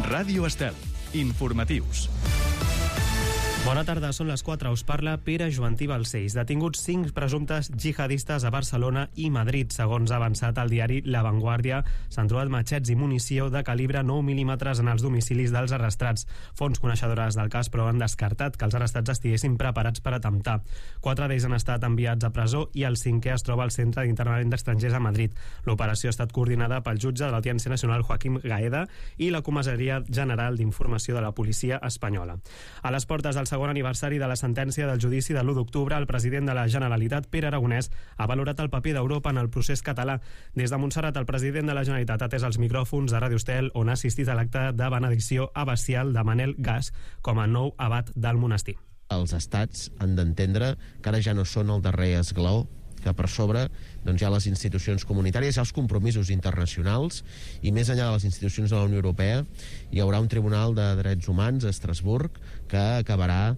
Ràdio Estel. Informatius. Bona tarda, són les 4. Us parla Pere Joantí Balcells. Detinguts 5 presumptes jihadistes a Barcelona i Madrid. Segons ha avançat el diari La Vanguardia, s'han trobat matxets i munició de calibre 9 mm en els domicilis dels arrestats. Fonts coneixedores del cas, però, han descartat que els arrestats estiguessin preparats per atemptar. 4 d'ells han estat enviats a presó i el 5è es troba al Centre d'Internament d'Estrangers a Madrid. L'operació ha estat coordinada pel jutge de l'Audiència Nacional Joaquim Gaeda i la Comissaria General d'Informació de la Policia Espanyola. A les portes del segon aniversari de la sentència del judici de l'1 d'octubre, el president de la Generalitat, Pere Aragonès, ha valorat el paper d'Europa en el procés català. Des de Montserrat, el president de la Generalitat ha atès els micròfons de Ràdio Estel, on ha assistit a l'acte de benedicció abacial de Manel Gas com a nou abat del monestir. Els estats han d'entendre que ara ja no són el darrer esglaó, que per sobre hi ha les institucions comunitàries, hi ha els compromisos internacionals, i més enllà de les institucions de la Unió Europea hi haurà un Tribunal de Drets Humans a Estrasburg que acabarà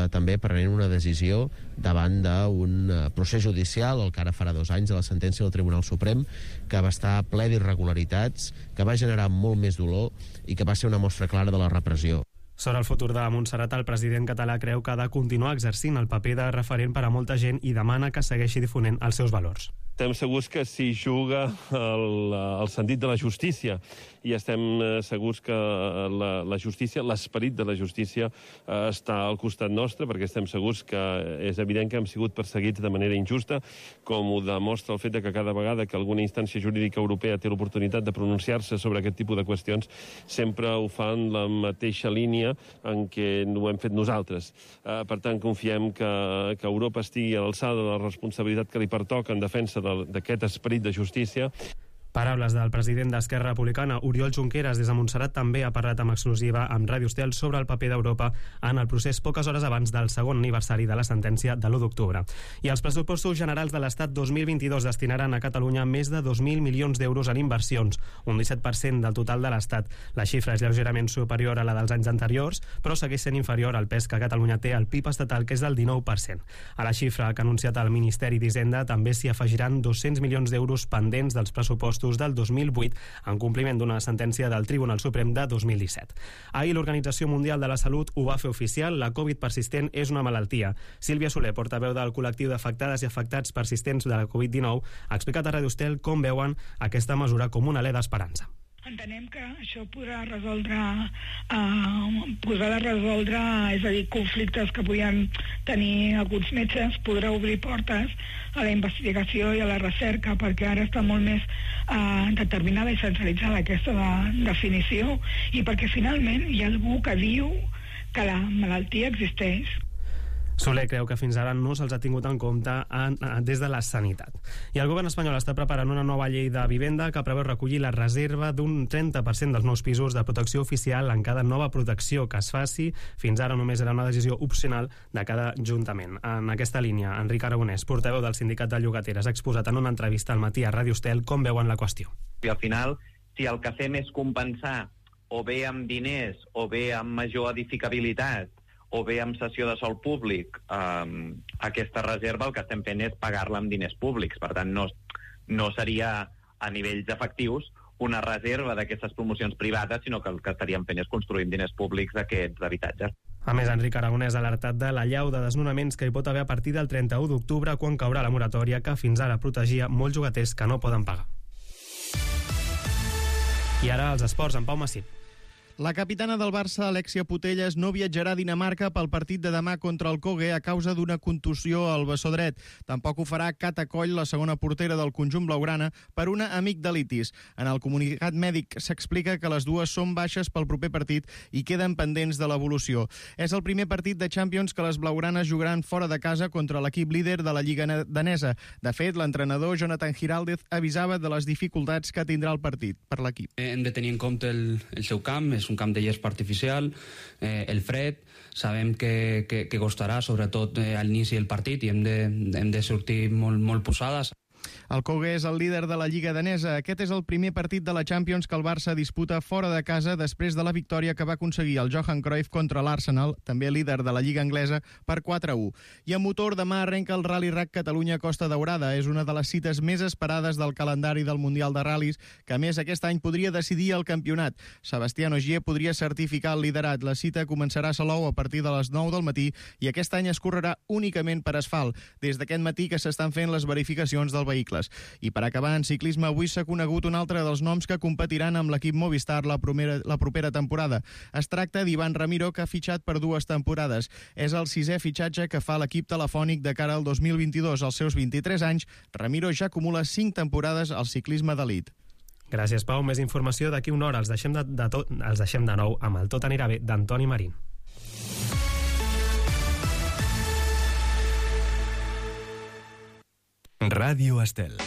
també prenent una decisió davant d'un procés judicial, el que ara farà 2 anys, de la sentència del Tribunal Suprem, que va estar ple d'irregularitats, que va generar molt més dolor i que va ser una mostra clara de la repressió. Sobre el futur de Montserrat, el president català creu que ha de continuar exercint el paper de referent per a molta gent i demana que segueixi difonent els seus valors. Estem segurs que s'hi juga el sentit de la justícia, i estem segurs que la justícia, l'esperit de la justícia està al costat nostre, perquè estem segurs que és evident que hem sigut perseguits de manera injusta, com ho demostra el fet que cada vegada que alguna instància jurídica europea té l'oportunitat de pronunciar-se sobre aquest tipus de qüestions, sempre ho fan la mateixa línia en què ho hem fet nosaltres. Per tant, confiem que Europa estigui a l'alçada de la responsabilitat que li pertoca en defensa d'aquest esperit de justícia. Paraules del president d'Esquerra Republicana, Oriol Junqueras, des de Montserrat, també ha parlat amb exclusiva amb Ràdio Estel sobre el paper d'Europa en el procés poques hores abans del segon aniversari de la sentència de l'1 d'octubre. I els pressupostos generals de l'Estat 2022 destinaran a Catalunya més de 2.000 milions d'euros en inversions, un 17% del total de l'Estat. La xifra és lleugerament superior a la dels anys anteriors, però segueix sent inferior al pes que Catalunya té al PIB estatal, que és del 19%. A la xifra que ha anunciat el Ministeri d'Hisenda també s'hi afegiran 200 milions d'euros pendents dels pressupostos del 2008 en compliment d'una sentència del Tribunal Suprem de 2017. Ahir l'Organització Mundial de la Salut ho va fer oficial: la Covid persistent és una malaltia. Sílvia Soler, portaveu del col·lectiu d'afectades i afectats persistents de la Covid-19, ha explicat a Ràdio Estel com veuen aquesta mesura com un alè d'esperança. Entenem que això podrà resoldre, és a dir, conflictes que podien tenir alguns metges, podrà obrir portes a la investigació i a la recerca, perquè ara està molt més determinada i centralitzada aquesta definició, i perquè finalment hi ha algú que diu que la malaltia existeix. Soler creu que fins ara no se'ls ha tingut en compte des de la sanitat. I el govern espanyol està preparant una nova llei de vivenda que preveu recollir la reserva d'un 30% dels nous pisos de protecció oficial en cada nova protecció que es faci. Fins ara només era una decisió opcional de cada ajuntament. En aquesta línia, Enric Aragonès, portaveu del Sindicat de Llogateres, ha exposat en una entrevista al matí a Ràdio Estel com veuen la qüestió. I al final, si el que fem és compensar o bé amb diners o bé amb major edificabilitat o bé amb cessió de sòl públic, aquesta reserva el que estem fent és pagar-la amb diners públics. Per tant, no seria a nivells efectius una reserva d'aquestes promocions privades, sinó que el que estaríem fent és construir amb diners públics aquests habitatges. A més, Enric Aragonès ha alertat de l'allau de desnonaments que hi pot haver a partir del 31 d'octubre, quan caurà la moratòria que fins ara protegia molts llogaters que no poden pagar. I ara els esports, amb Pau Massip. La capitana del Barça, Alexia Putellas, no viatjarà a Dinamarca pel partit de demà contra el Køge a causa d'una contusió al bessó dret. Tampoc ho farà Cata Coll, la segona portera del conjunt blaugrana, per una amigdalitis. En el comunicat mèdic s'explica que les dues són baixes pel proper partit i queden pendents de l'evolució. És el primer partit de Champions que les blaugranes jugaran fora de casa contra l'equip líder de la Lliga danesa. De fet, l'entrenador Jonathan Giraldez avisava de les dificultats que tindrà el partit per l'equip. Hem de tenir en compte el seu camp, és un camp de gespa artificial, el fred, sabem que costarà sobretot a l'inici del partit i hem de sortir molt posades. El Køge és el líder de la Lliga danesa. Aquest és el primer partit de la Champions que el Barça disputa fora de casa després de la victòria que va aconseguir el Johan Cruyff contra l'Arsenal, també líder de la Lliga anglesa, per 4-1. I a motor, demà arrenca el Rally Rack Catalunya Costa Daurada. És una de les cites més esperades del calendari del Mundial de Ral·lis, que a més aquest any podria decidir el campionat. Sebastián Ogier podria certificar el liderat. La cita començarà a Salou a partir de les 9 del matí i aquest any es correrà únicament per asfalt, des d'aquest matí que s'estan fent les verificacions dels vehicles. I per acabar, en ciclisme, avui s'ha conegut un altre dels noms que competiran amb l'equip Movistar la propera temporada. Es tracta d'Ivan Ramiro, que ha fitxat per 2 temporades. És el 6è fitxatge que fa l'equip telefònic de cara al 2022. Als seus 23 anys, Ramiro ja acumula 5 temporades al ciclisme d'elit. Gràcies, Pau. Més informació d'aquí una hora. Els deixem de nou amb el Tot anirà bé d'Antoni Marín. Ràdio Estel.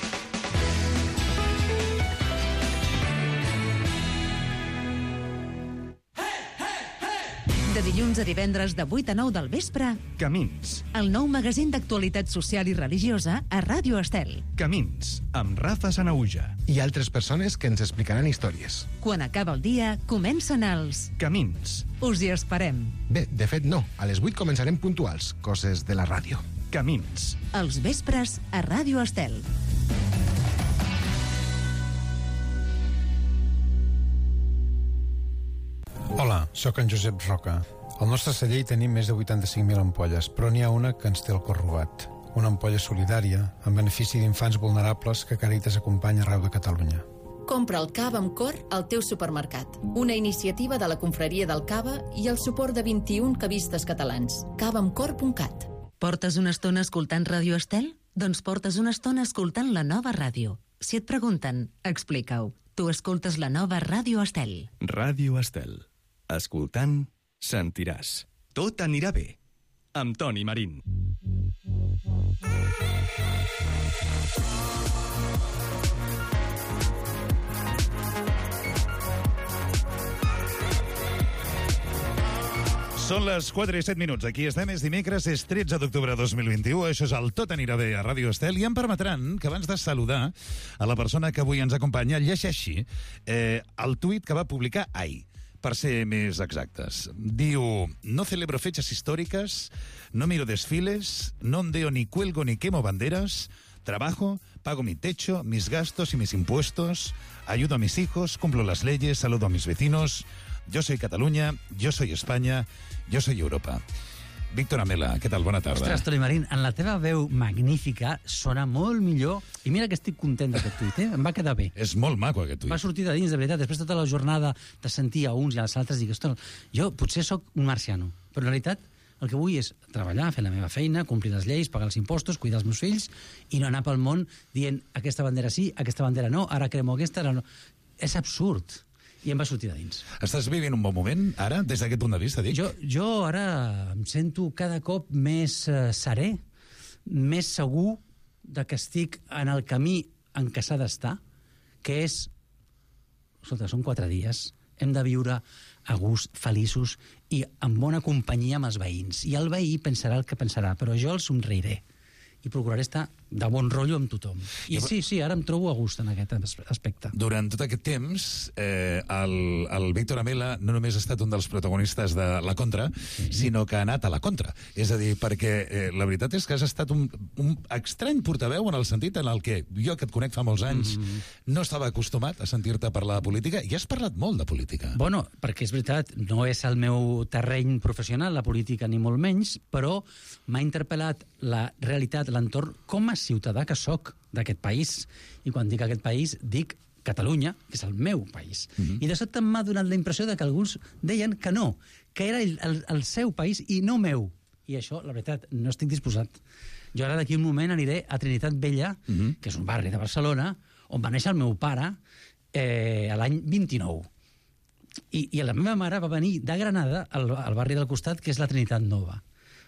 De dilluns a divendres de 8 a 9 del vespre, Camins. el nou magazín d'actualitat social i religiosa a Ràdio Estel. Camins, amb Rafa Sanauja. I altres persones que ens explicaran històries. Quan acaba el dia, comencen els... Camins. Us hi esperem. Bé, de fet no. A les 8 començarem puntuals, coses de la ràdio. Camins. Els vespres a Ràdio Estel. Hola, sóc en Josep Roca. Al nostre celler hi tenim més de 85.000 ampolles, però n'hi ha una que ens té el cor robat. Una ampolla solidària, en benefici d'infants vulnerables que Càritas acompanya arreu de Catalunya. Compra el cava amb cor al teu supermercat. Una iniciativa de la Confraria del Cava i el suport de 21 cavistes catalans. cavaamcor.cat. Portes una estona escoltant Ràdio Estel? Doncs portes una estona escoltant la nova ràdio. Si et pregunten, explica-ho. Tu escoltes la nova Ràdio Estel. Ràdio Estel. Escoltant, sentiràs. Tot anirà bé. Amb Toni Marín. Són les 4 i 7 minuts. Aquí estem, és dimecres, és 13 d'octubre de 2021. Això és el Tot anirà bé a Ràdio Estel. I em permetran que abans de saludar a la persona que avui ens acompanya, llegeixi el tuit que va publicar ahir, per ser més exactes. Diu: no celebro fechas históricas, no miro desfiles, no ondeo ni cuelgo ni quemo banderas, trabajo, pago mi techo, mis gastos y mis impuestos, ayudo a mis hijos, cumplo las leyes, saludo a mis vecinos. Yo soy Catalunya, yo soy España, yo soy Europa. Víctor Amela, què tal? Bona tarda. Ostres, Toni Marín, en la teva veu magnífica sona molt millor. I mira que estic content d'aquest tuit, Em va quedar bé. És molt maco, aquest tuit. Va sortir de dins, de veritat. Després de tota la jornada de sentir a uns i als altres, dic, ostres, jo potser sóc un marciano, però en realitat el que vull és treballar, fer la meva feina, complir les lleis, pagar els impostos, cuidar els meus fills i no anar pel món dient aquesta bandera sí, aquesta bandera no, ara cremo aquesta, ara no. És absurd. I em va sortir de dins. Estàs vivint un bon moment, ara, des d'aquest punt de vista, dic? Jo ara em sento cada cop més serè, més segur de que estic en el camí en què s'ha d'estar, que és... Escolta, són 4 dies, hem de viure a gust, feliços i en bona companyia amb els veïns. I el veí pensarà el que pensarà, però jo el somreiré i procuraré estar de bon rotllo amb tothom. I sí, ara em trobo a gust en aquest aspecte. Durant tot aquest temps, el Víctor Amela no només ha estat un dels protagonistes de La Contra, sinó que ha anat a la contra. És a dir, perquè la veritat és que has estat un estrany portaveu en el sentit en el que jo, que et conec fa molts anys, no estava acostumat a sentir-te parlar de política, i has parlat molt de política. Bueno, perquè és veritat, no és el meu terreny professional, la política, ni molt menys, però m'ha interpel·lat la realitat, l'entorn, com a ciutadà que sóc d'aquest país. I quan dic aquest país, dic Catalunya, que és el meu país. I de sobte m'ha donat la impressió de que alguns deien que no, que era el seu país i no meu. I això, la veritat, no estic disposat. Jo ara d'aquí un moment aniré a Trinitat Vella, que és un barri de Barcelona, on va néixer el meu pare a l'any 29. I la meva mare va venir de Granada al barri del costat, que és la Trinitat Nova.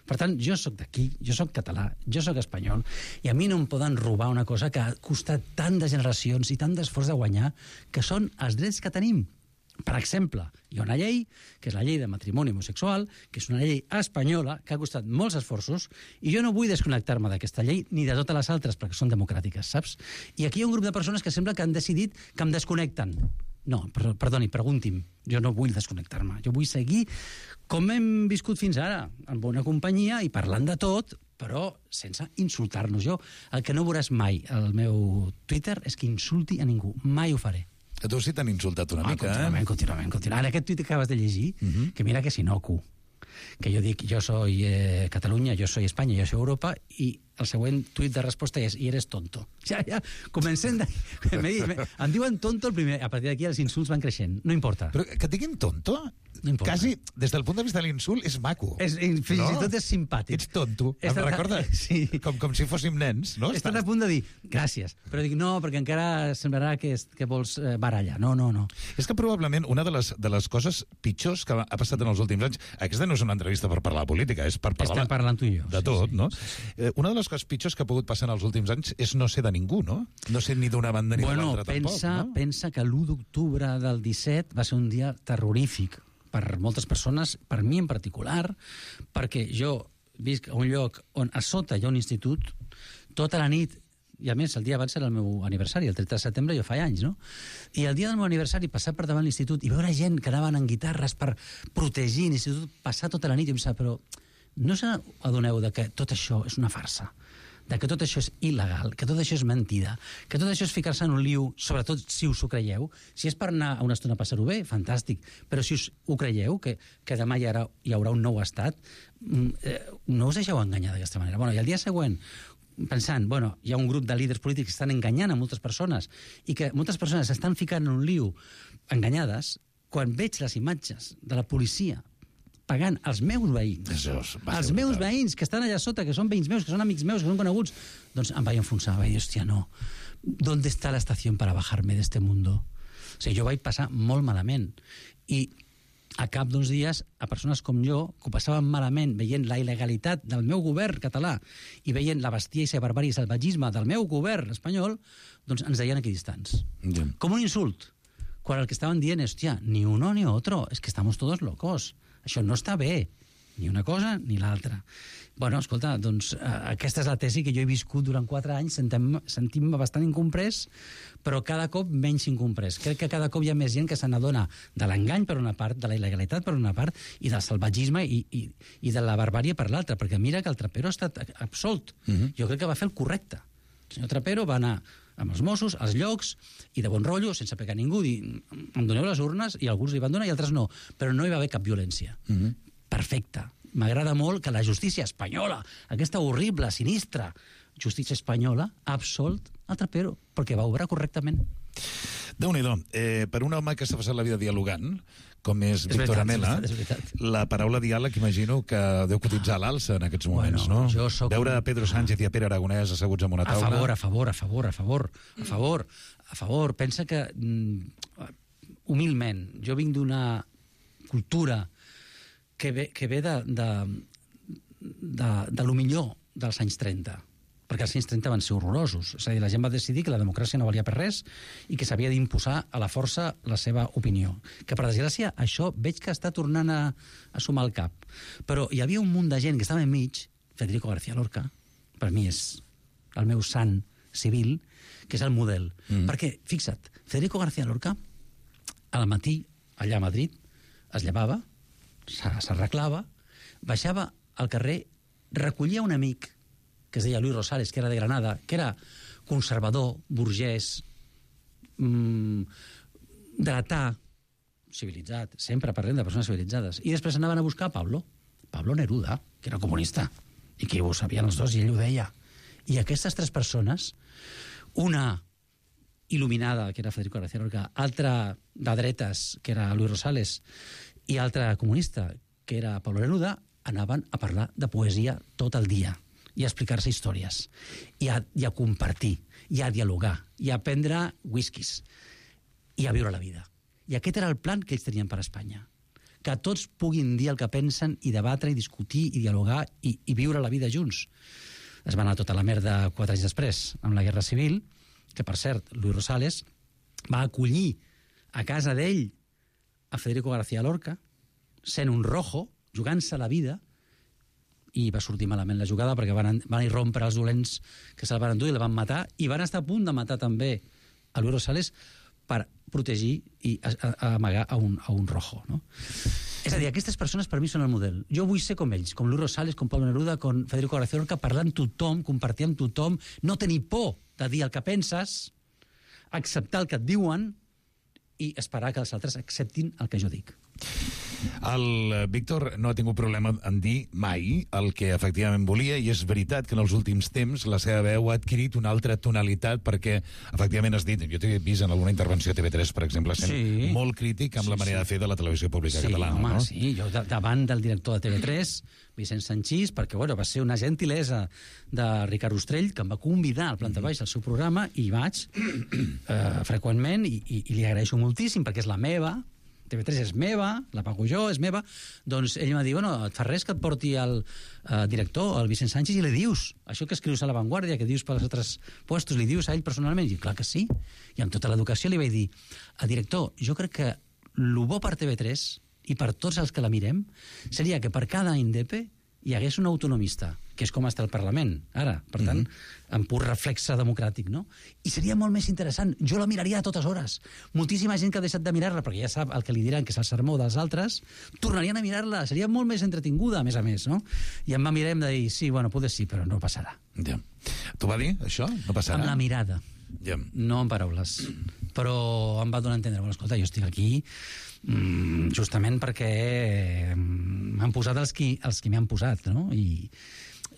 Per tant, jo sóc d'aquí, jo sóc català, jo sóc espanyol, i a mi no em poden robar una cosa que ha costat tant de generacions i tant d'esforç de guanyar, que són els drets que tenim Per exemple, hi ha una llei, que és la llei de matrimoni homosexual, que és una llei espanyola, que ha costat molts esforços, i jo no vull desconnectar-me d'aquesta llei ni de totes les altres, perquè són democràtiques, saps? I aquí hi ha un grup de persones que sembla que han decidit que em desconnecten. No, perdoni, pregunti'm. Jo no vull desconnectar-me. Jo vull seguir com hem viscut fins ara, en bona companyia i parlant de tot, però sense insultar-nos. Jo el que no veuràs mai al meu Twitter és que insulti a ningú. Mai ho faré. A tu sí t'han insultat una mica, Contínuament. Ara, aquest tuit que acabes de llegir, que mira que és inocu, que jo dic, jo soy Catalunya, jo soy Espanya, jo soy Europa, i el següent tuit de resposta és, i eres tonto. Ja, comencem em diuen tonto el primer, a partir d'aquí els insults van creixent, no importa. Però que et diguin tonto, no importa. Quasi, des del punt de vista de l'insult, és maco. Fins i tot és simpàtic. Ets tonto, em recorda? Sí. Com si fóssim nens, no? Estàs a punt de dir, gràcies, però dic, no, perquè encara semblarà que vols barallar. No. És que probablement una de les coses pitjors que ha passat en els últims anys, aquesta no és una entrevista per parlar de política, és per parlar... Estem parlant tu i jo. De tot, no? Una de les coses pitjors que ha pogut passar en els últims anys és no ser de ningú, no? No ser ni d'una banda ni de l'altra, tampoc, no? Pensa que l'1 d'octubre del 17 va ser un dia terrorífic per moltes persones, per mi en particular, perquè jo visc a un lloc on a sota hi ha un institut, tota la nit, i a més el dia abans era el meu aniversari, el 30 de setembre jo fa anys, no? I el dia del meu aniversari passar per davant l'institut i veure gent que anaven en guitarres per protegir l'institut, passar tota la nit i pensar, però no us adoneu de que tot això és una farsa, de que tot això és il·legal, que tot això és mentida, que tot això és ficar-se en un liu, sobretot si us ho creieu. Si és per anar a una estona a passar-ho bé, fantàstic, però si us ho creieu, que demà hi haurà un nou estat, no us deixeu enganyar d'aquesta manera. I el dia següent, pensant, hi ha un grup de líders polítics que estan enganyant a moltes persones i que moltes persones s'estan ficant en un liu enganyades, quan veig les imatges de la policia pagant els meus veïns, els meus veïns que estan allà sota, que són veïns meus, que són amics meus, que són coneguts, doncs em vaig enfonsar, vaig dir, hòstia, no, ¿dónde está la estación para bajarme de este mundo? O sigui, jo vaig passar molt malament. I a cap d'uns dies, a persones com jo, que ho passaven malament veient la il·legalitat del meu govern català i veient la bèstia i la barbària i el salvatgisme del meu govern espanyol, doncs ens deien equidistants. Com un insult. Quan el que estaven dient és, hòstia, ni uno ni otro, es que estamos todos locos. Això no està bé, ni una cosa ni l'altra. Escolta, doncs aquesta és la tesi que jo he viscut durant 4 anys, sentint-me bastant incomprès, però cada cop menys incomprès. Crec que cada cop hi ha més gent que se n'adona de l'engany per una part, de la il·legalitat per una part, i del salvatgisme i de la barbària per l'altra, perquè mira que el Trapero ha estat absolt. Jo crec que va fer el correcte. El senyor Trapero va anar amb els Mossos, als llocs, i de bon rotllo, sense pegar ningú, dir, em doneu les urnes, i alguns li van donar i altres no, però no hi va haver cap violència. Perfecte. M'agrada molt que la justícia espanyola, aquesta horrible, sinistra justícia espanyola, ha absolt el Trapero, perquè va obrar correctament. Déu-n'hi-do. Per un home que s'ha passat la vida dialogant, com és Víctor Amela, la paraula diàleg imagino que deu cotitzar a l'alça en aquests moments, no? Veure a Pedro Sánchez i a Pere Aragonès asseguts en una taula... A favor. Pensa que, humilment, jo vinc d'una cultura que ve de lo millor dels anys 30, perquè els anys 30 van ser horrorosos. És a dir, la gent va decidir que la democràcia no valia per res i que s'havia d'imposar a la força la seva opinió. Que, per desgràcia, això veig que està tornant a sumar el cap. Però hi havia un munt de gent que estava enmig, Federico García Lorca, per mi és el meu sant civil, que és el model. Perquè, fixa't, Federico García Lorca, al matí, allà a Madrid, es llevava, s'arreglava, baixava al carrer, recollia un amic que es deia Luis Rosales, que era de Granada, que era conservador, burgès, dretà, civilitzat, sempre parlem de persones civilitzades, i després anaven a buscar Pablo Neruda, que era comunista, i que ho sabien els dos, i ell ho deia. I aquestes 3 persones, una il·luminada, que era Federico García Lorca, altra de dretes, que era Luis Rosales, i altra comunista, que era Pablo Neruda, anaven a parlar de poesia tot el dia i a explicar-se històries, i a compartir, i a dialogar, i a prendre whiskies, i a viure la vida. I aquest era el plan que ells tenien per a Espanya. Que tots puguin dir el que pensen, i debatre, i discutir, i dialogar, i viure la vida junts. Es va anar tota la merda 4 anys després, amb la Guerra Civil, que, per cert, Luis Rosales va acollir a casa d'ell a Federico García Lorca, sent un rojo, jugant-se la vida, i va sortir malament la jugada perquè van irrompre els dolents que se'l van endur i el van matar, i van estar a punt de matar també a Luis Rosales per protegir i amagar a un rojo, no? És a dir, aquestes persones per mi són el model. Jo vull ser com ells, com Luis Rosales, com Pablo Neruda, com Federico García Lorca, parlar amb tothom, compartir amb tothom, no tenir por de dir el que penses, acceptar el que et diuen i esperar que els altres acceptin el que jo dic. El Víctor no ha tingut problema en dir mai el que efectivament volia, i és veritat que en els últims temps la seva veu ha adquirit una altra tonalitat, perquè efectivament has dit, jo t'he vist en alguna intervenció a TV3, per exemple, sent molt crític amb la manera de fer de la televisió pública catalana. Home, no? Sí, jo davant del director de TV3, Vicent Sanchís, perquè va ser una gentilesa de Ricard Ostrell, que em va convidar al Planta Baixa al seu programa, i vaig freqüentment, i li agraeixo moltíssim, perquè és la meva, TV3 és meva, la pago jo, és meva, doncs ell m'ha dit, bueno, et fa res que et porti el director, el Vicent Sánchez, i li dius, això que escrius a La Vanguardia, que dius pels altres puestos, li dius a ell personalment? I clar que sí, i amb tota l'educació li vaig dir, director, jo crec que el bo per TV3, i per tots els que la mirem, seria que per cada INDEP hi hagués un autonomista, que és com està el Parlament, ara, per tant, en pur reflexe democràtic, no? I seria molt més interessant. Jo la miraria a totes hores. Moltíssima gent que ha deixat de mirar-la, perquè ja sap el que li diran, que és el sermó dels altres, tornarien a mirar-la. Seria molt més entretinguda, a més, no? I em va mirar i em va dir, sí, bueno, potser sí, però no passarà. Ja. T'ho va dir, això? No passarà? Amb la mirada. Ja. No amb paraules. Però em va donar a entendre, bueno, escolta, jo estic aquí justament perquè m'han posat els qui m'han posat, no? I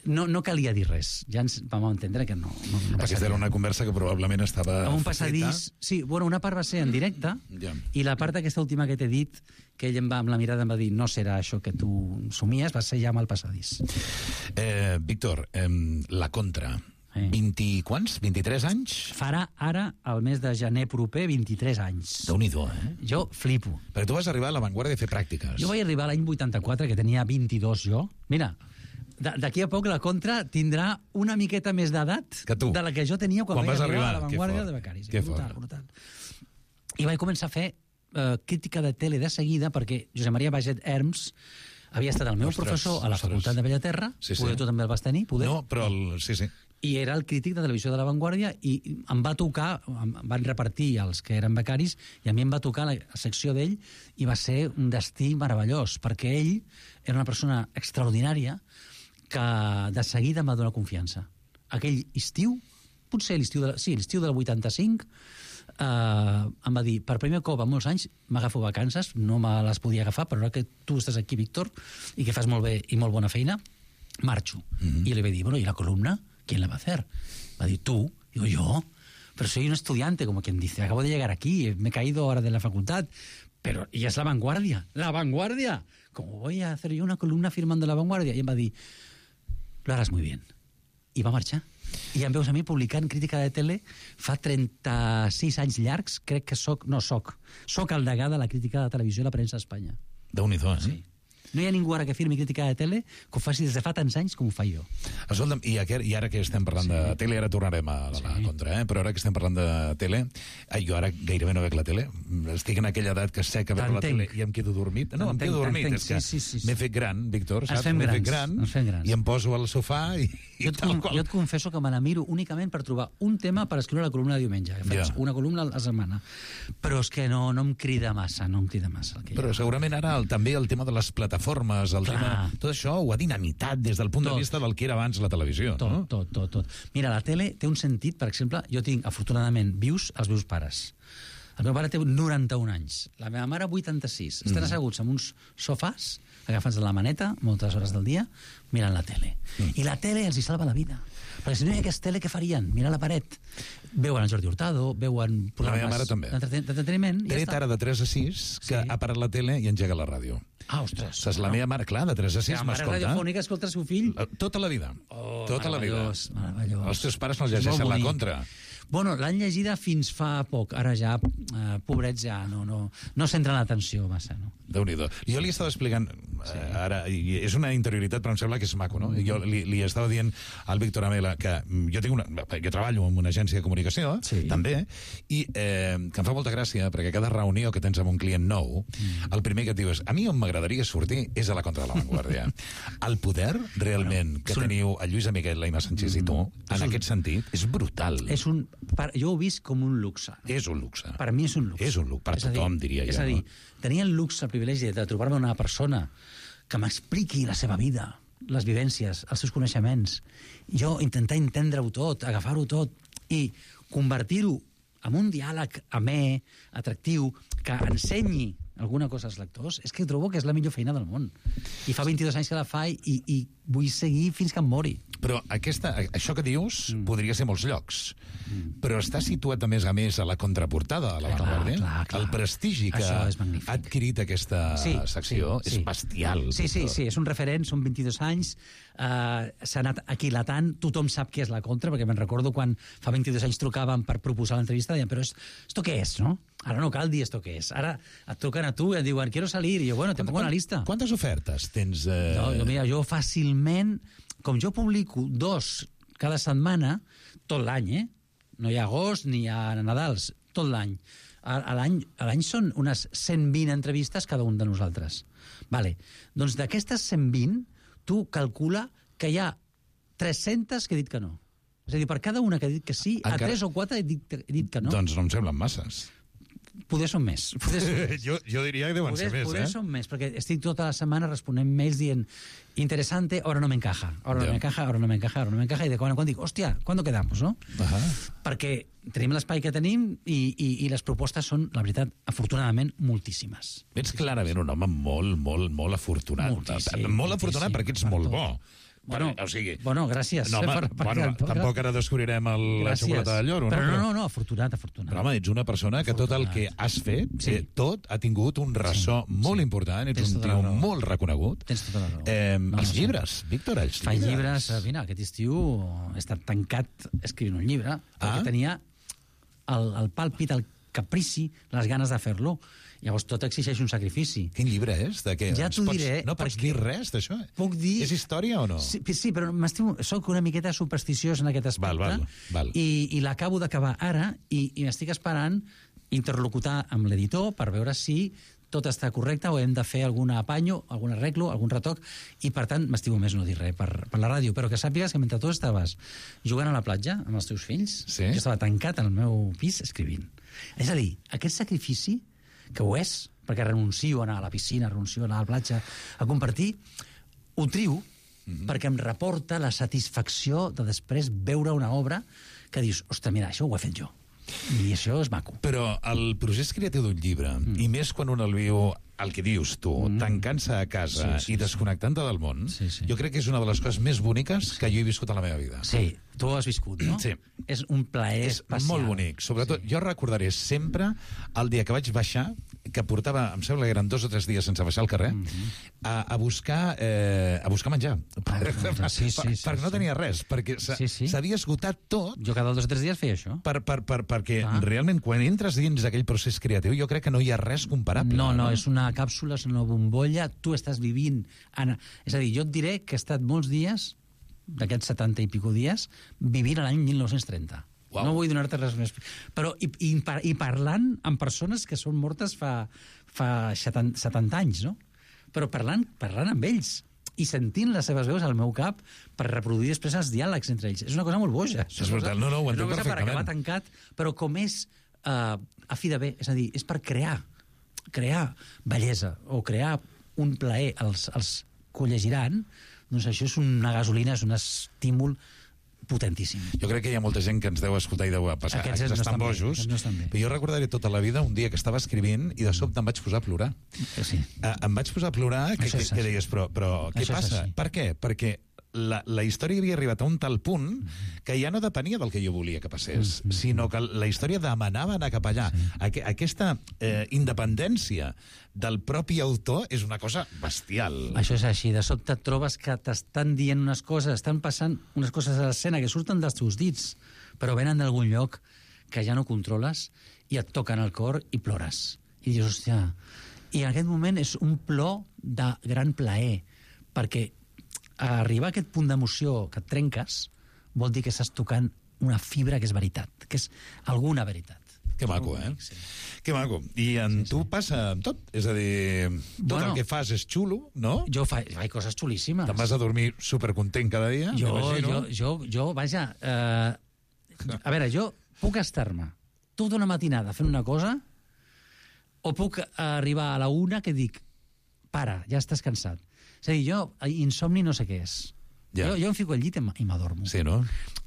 no calia dir res. Ja ens vam entendre que no passaria. Aquesta era una conversa que probablement estava a un passadís. Sí, bueno, una part va ser en directe, i la part aquesta última que t'he dit, que ell amb la mirada em va dir no serà això que tu somies, va ser ja amb el passadís. Víctor, la Contra, 20 quants? 23 anys? Farà ara, al mes de gener proper, 23 anys. Déu-n'hi-do, Jo flipo. Perquè tu vas arribar a La Vanguardia a fer pràctiques. Jo vaig arribar l'any 84, que tenia 22 jo. Mira, d'aquí a poc la Contra tindrà una miqueta més d'edat de la que jo tenia quan vaig arribar a La Vanguardia de becaris. Brutal. I vaig començar a fer crítica de tele de seguida, perquè Josep Maria Baget Herms havia estat el meu professor a la Facultat de Bellaterra. Poder tu també el vas tenir? No, però sí. I era el crític de televisió de La Vanguardia, i em va tocar, em van repartir els que eren becaris, i a mi em va tocar la secció d'ell, i va ser un destí meravellós, perquè ell era una persona extraordinària que de seguida em va donar confiança. Aquell estiu, potser l'estiu del 85, em va dir, per primer cop en molts anys m'agafo vacances, no me les podia agafar, però ara que tu estàs aquí, Víctor, i que fas molt bé i molt bona feina, marxo. I li vaig dir, bueno, ¿y la columna? ¿Quién la va a hacer? Va a decir, tú. Digo, yo. Pero soy un estudiante, como quien dice, acabo de llegar aquí, me he caído ahora de la facultad, pero y es La Vanguardia. ¡La Vanguardia! ¿Cómo voy a hacer yo una columna firmando La Vanguardia? I em va dir, lo harás muy bien. I va marxar. I em veus a mi publicant crítica de tele fa 36 anys llargs, crec que soc el degà de la crítica de televisió i la premsa a Espanya. Déu-n'hi-do, Sí. No hi ha ningú ara que firmi crítica de tele que ho faci des de fa tants anys com ho faig jo. Escolta'm, i ara que estem parlant de tele, ara tornarem a la Contra, però ara que estem parlant de tele, jo ara gairebé no veig la tele, estic en aquella edat que sé que veig la tele i em quedo dormit. No, em quedo dormit, és que m'he fet gran, Víctor, saps? M'he fet gran i em poso al sofà i tal qual. Jo et confesso que me la miro únicament per trobar un tema per escriure la columna de diumenge. Faig una columna a la setmana. Però és que no em crida massa, Però segurament ara també el tema de les plataformes, el tema, tot això ho ha dinamitat des del punt de vista del que era abans la televisió. Tot. Mira, la tele té un sentit, per exemple, jo tinc, afortunadament, vius els meus pares. El meu pare té 91 anys, la meva mare 86. Estan asseguts en uns sofàs, agafats de la maneta, moltes hores del dia, mirant la tele. I la tele els hi salva la vida. Perquè si no hi hagués tele, què farien? Mirar la paret. Veuen el Jordi Hurtado, veuen programes d'entreteniment. Té ara de 3 a 6, que ha parat la tele i engega la ràdio. Ah, ostres. Saps, la meva mare, clar, de 3 a 6 m'escolta. La mare radiofònica escolta el seu fill? Tota la vida. Tota la vida. Meravellós. Els teus pares no llegeixen La Contra. Bueno, l'han llegida fins fa poc. Ara ja, pobrets, ja no centren l'atenció massa, no? Déu-n'hi-do. Jo li estava explicant, ara, és una interioritat, però em sembla que és maco, no? Jo li estava dient al Víctor Amela que jo treballo en una agència de comunicació, també, i que em fa molta gràcia, perquè cada reunió que tens amb un client nou, el primer que et diu és, a mi on m'agradaria sortir és a la Contra de la Vanguardia. El poder, realment, que teniu a Lluís Amiguet, l'Aina Sánchez i tu, en aquest sentit, és brutal. Jo ho he vist com un luxe. És un luxe. Per mi és un luxe. És un luxe, per tothom, diria jo. És a dir, tenia el luxe, el privilegi de trobar-me una persona que m'expliqui la seva vida, les vivències, els seus coneixements. Jo intentar entendre-ho tot, agafar-ho tot i convertir-ho en un diàleg amè, atractiu, que ensenyi alguna cosa als lectors, és que trobo que és la millor feina del món. I fa 22 anys que la fa i vull seguir fins que em mori. Però això que dius podria ser molts llocs. Però està situat a més a la contraportada de la Vanguardia. Clar. El prestigi que ha adquirit aquesta secció és bestial. Sí, és un referent, són 22 anys, s'ha anat aquilatant, tothom sap què és la Contra, perquè me'n recordo quan fa 22 anys trucaven per proposar l'entrevista, deien, però esto què és, no? Ara no cal dir esto què és. Ara et truquen a tu i et diuen, quiero salir, i jo, bueno, te pongo una lista. Quantes ofertes tens? Mira, jo fàcilment, com jo publico 2 cada setmana, tot l'any, no hi ha agost ni hi ha Nadals, tot l'any. A l'any són unes 120 entrevistes cada un de nosaltres. Vale. Doncs d'aquestes 120, tu calcula que hi ha 300 que he dit que no. És a dir, per cada una que he dit que sí, a 3 o 4 he dit que no. Doncs no em semblen masses. Poder són més. Jo diria que deuen ser més, Poder són més, perquè estic tota la setmana responent mails dient interesante, ahora no me encaja, ahora no me encaja, i de quan en quan dic, hòstia, ¿cuándo quedamos, no? Perquè tenim l'espai que tenim i les propostes són, la veritat, afortunadament, moltíssimes. Ets clarament un home molt afortunat. Molt afortunat perquè ets molt bo. Bueno, gràcies. No, tampoc ara descobrirem la xocolata de lloro. Però no, afortunat. Però, home, ets una persona que tot el que has fet, tot ha tingut un ressò molt important, ets un tio molt reconegut. Tens tota la raó. Els llibres, Víctor, els llibres. Faig llibres, mira, aquest estiu he estat tancat escrivint un llibre, perquè tenia el pàlpit, el caprici, les ganes de fer-lo. Llavors tot exigeix un sacrifici. Quin llibre és? Ja t'ho diré. No pots dir res d'això? Puc dir... És història o no? Sí, però soc una miqueta supersticiós en aquest aspecte. Val. I l'acabo d'acabar ara i m'estic esperant interlocutar amb l'editor per veure si tot està correcte o hem de fer algun apanyo, algun arreglo, algun retoc, i per tant m'estimo més no dir res per la ràdio, però que sàpigues que mentre tu estaves jugant a la platja amb els teus fills, jo estava tancat al meu pis escrivint. És a dir, aquest sacrifici que ho és, perquè renuncio a anar a la piscina, renuncio a anar a la platja, a compartir, ho trio perquè em reporta la satisfacció de després veure una obra que dius, ostres, mira, això ho he fet jo. I això és maco. Però el procés creatiu d'un llibre, i més quan un el viu, el que dius tu, tancant-se a casa i desconnectant-te del món, jo crec que és una de les coses més boniques que jo he viscut a la meva vida. Sí, tu ho has viscut, no? Sí. És un plaer especial. És molt bonic. Sobretot, jo recordaré sempre el dia que vaig baixar, que portava, em sembla que eren 2 o 3 dies sense baixar al carrer, a buscar menjar. Perquè no tenia res, perquè s'havia esgotat tot. Jo cada 2 o 3 dies feia això. Perquè realment, quan entres dins d'aquell procés creatiu, jo crec que no hi ha res comparable. No, és una càpsula, és una bombolla, tu estàs vivint... És a dir, jo et diré que he estat molts dies, d'aquests 70 i pico dies, vivint l'any 1930. Wow. No vull donar-te res més. Però, i parlant amb persones que són mortes fa 70 anys, no? Però parlant amb ells i sentint les seves veus al meu cap per reproduir després els diàlegs entre ells. És una cosa molt boja. És brutal, no, ho entenc perfectament. És una cosa per acabar tancat, però com és a fi de bé, és a dir, és per crear bellesa o crear un plaer als que ho llegiran, doncs això és una gasolina, és un estímul potentíssim. Jo crec que hi ha molta gent que ens deu escoltar i deu passar. Aquests estan bojos. Però jo recordaré tota la vida un dia que estava escrivint i de sobte em vaig posar a plorar. Sí. Em vaig posar a plorar que deies, però què passa? Per què? Perquè la història havia arribat a un tal punt que ja no depenia del que jo volia que passés, sinó que la història demanava anar cap allà. Aquesta independència del propi autor és una cosa bestial. Això és així. De sobte et trobes que t'estan dient unes coses, estan passant unes coses a l'escena que surten dels teus dits, però venen d'algun lloc que ja no controles i et toquen el cor i plores. I dius, hòstia... I en aquest moment és un plor de gran plaer, perquè arribar a aquest punt d'emoció que et trenques vol dir que estàs tocant una fibra que és veritat, que és alguna veritat. Que maco, Sí. Que maco. I en tu passa amb tot? És a dir, tot el que fas és xulo, no? Jo faig coses xulíssimes. Te'n vas a dormir supercontent cada dia, m'imagino? Jo, vaja... a veure, jo puc estar-me tota una matinada fent una cosa o puc arribar a la 1 que dic, para, ja estàs cansat. És a dir, jo, insomni no sé què és. Jo em fico al llit i m'adormo. Sí, no?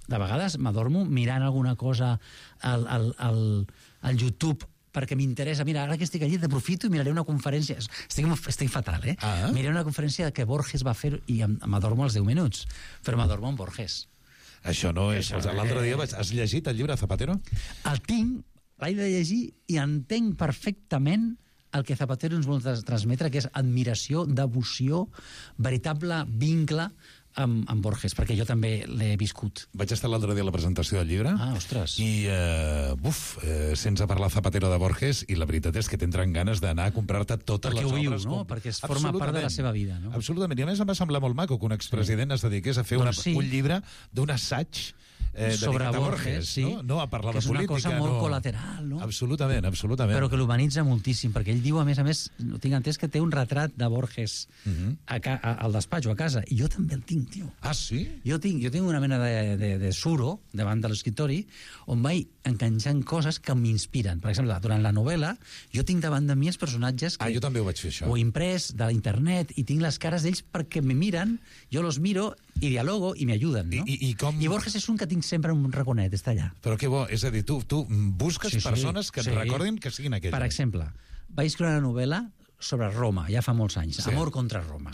De vegades m'adormo mirant alguna cosa al YouTube perquè m'interessa. Mira, ara que estic al llit aprofito i miraré una conferència. Estic fatal, eh? Miraré una conferència que Borges va fer i m'adormo als 10 minuts. Però m'adormo amb Borges. Això no és... L'altre dia has llegit el llibre Zapatero? El tinc, l'he de llegir i entenc perfectament el que Zapatero ens vol transmetre, que és admiració, devoció, veritable vincle amb Borges, perquè jo també l'he viscut. Vaig estar l'altre dia a la presentació del llibre. Ostres. I, sense parlar Zapatero de Borges, i la veritat és que t'entren ganes d'anar a comprar-te totes les obres. Perquè ho vius, no? Perquè es forma part de la seva vida, no? Absolutament. I a més em va semblar molt maco que un expresident es dediqués a fer un llibre d'un assaig sobre Borges, sí. No a parlar de política. Que és una cosa molt col·lateral, no? Absolutament. Però que l'humanitza moltíssim, perquè ell diu, a més, tinc entès que té un retrat de Borges al despatx o a casa, i jo també el tinc, tio. Ah, sí? Jo tinc una mena de suro davant de l'escriptori on vaig enganxant coses que m'inspiren. Per exemple, durant la novel·la, jo tinc davant de mi els personatges que... jo també ho vaig fer, això. Ho he imprès de l'internet i tinc les cares d'ells perquè me miren, jo los miro i dialogo i m'ajuden, no? I Borges és un que tinc sempre un raconet, està allà. Però que bo, és a dir, tu busques persones que et recordin que siguin aquelles. Per exemple, vaig escriure una novel·la sobre Roma, ja fa molts anys, Amor contra Roma.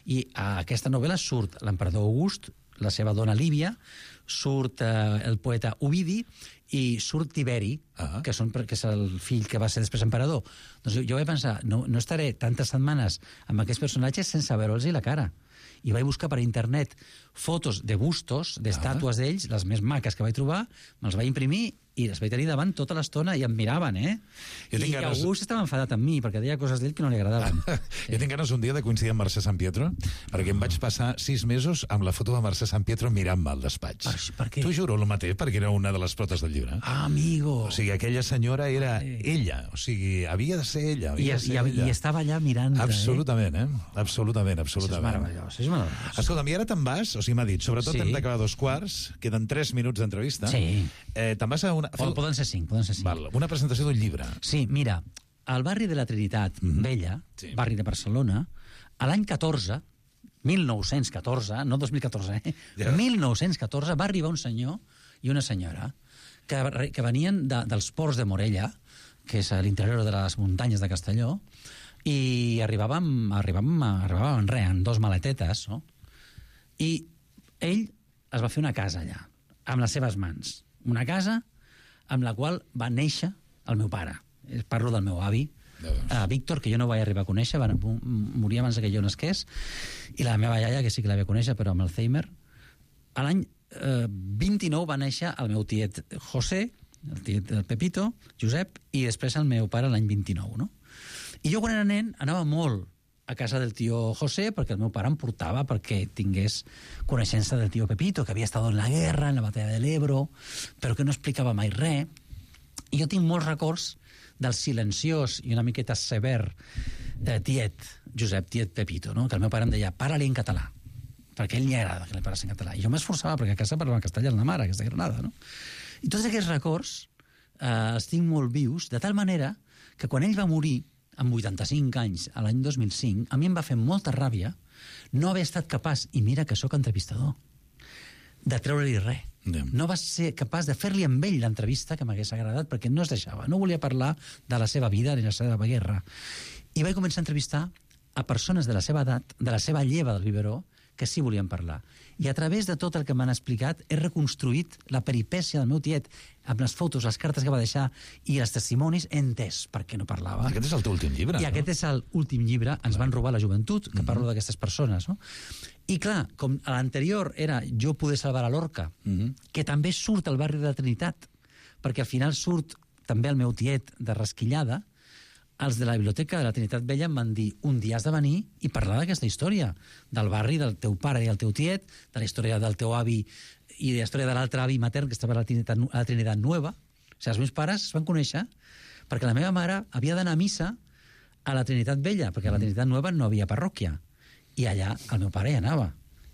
I a aquesta novel·la surt l'emperador August, la seva dona Lívia, surt el poeta Ovidi i surt Tiberi, que és el fill que va ser després emperador. Doncs jo vaig pensar, no estaré tantes setmanes amb aquests personatges sense veure'ls la cara. I vaig buscar per internet fotos de bustos, d'estàtues d'ells, les més maques que vaig trobar, me'ls vaig imprimir i les vaig tenir davant tota l'estona i em miraven, I August estava enfadat amb mi, perquè deia coses d'ell que no li agradaven. Jo tinc ganes un dia de coincidir amb Mercè Sant Pietro, perquè em vaig passar 6 mesos amb la foto de Mercè Sant Pietro mirant-me al despatx. Per què? T'ho juro, el mateix, perquè era una de les protes del llibre. Ah, amigo! O sigui, aquella senyora era ella, o sigui, havia de ser ella. I estava allà mirant. Absolutament, Absolutament. Això és meravellós, Escolta'm, i ara te'n vas, o sigui, m'ha dit, sobretot hem d'acabar 2:15, queden 3 minuts d'entrevista. Sí. Te'n vas a una... Poden ser 5. Val, una presentació d'un llibre. Sí, mira, al barri de la Trinitat Vella, barri de Barcelona, a l'any 1914, no 2014, 1914, va arribar un senyor i una senyora que venien dels ports de Morella, que és a l'interior de les muntanyes de Castelló, i arribàvem en res, en 2 maletetes, no? I ell es va fer una casa allà, amb les seves mans. Una casa amb la qual va néixer el meu pare. Parlo del meu avi, Víctor, que jo no vaig arribar a conèixer, va morir abans que jo nasqués, i la meva iaia, que sí que la vaig conèixer, però amb Alzheimer. A l'any 29 va néixer el meu tiet José, el tiet Pepito, Josep, i després el meu pare l'any 29, no? I jo, quan era nen, anava molt a casa del tio José, perquè el meu pare em portava perquè tingués coneixença del tio Pepito, que havia estat en la guerra, en la batalla de l'Ebro, però que no explicava mai res. I jo tinc molts records del silenciós i una miqueta sever tiet, Josep, tiet Pepito, no? Que el meu pare em deia, para-li en català, perquè a ell li agrada que li pares en català. I jo m'esforçava, perquè a casa parlava castellà amb la mare, aquesta Granada, no? I tots aquests records els tinc molt vius, de tal manera que quan ell va morir, amb 85 anys, a l'any 2005, a mi em va fer molta ràbia no haver estat capaç, i mira que sóc entrevistador, de treure-li res. No va ser capaç de fer-li amb ell l'entrevista que m'hagués agradat, perquè no es deixava, no volia parlar de la seva vida ni la seva guerra. I vaig començar a entrevistar a persones de la seva edat, de la seva lleva del biberó, que sí volien parlar. I a través de tot el que m'han explicat he reconstruït la peripècia del meu tiet amb les fotos, les cartes que va deixar i els testimonis, he entès per què no parlava. Aquest és el teu últim llibre, I aquest és l'últim llibre, ens van robar la joventut, que parlo d'aquestes persones, no? I clar, com a l'anterior era Jo poder salvar a Lorca, que també surt al barri de la Trinitat, perquè al final surt també el meu tiet de Rasquillada, els de la Biblioteca de la Trinitat Vella em van dir un dia has de venir i parlar d'aquesta història, del barri, del teu pare i el teu tiet, de la història del teu avi i de la història de l'altre avi matern que estava a la Trinitat Nueva. O sigui, els meus pares es van conèixer perquè la meva mare havia d'anar a missa a la Trinitat Vella, perquè a la Trinitat Nueva no havia parròquia. I allà el meu pare hi anava.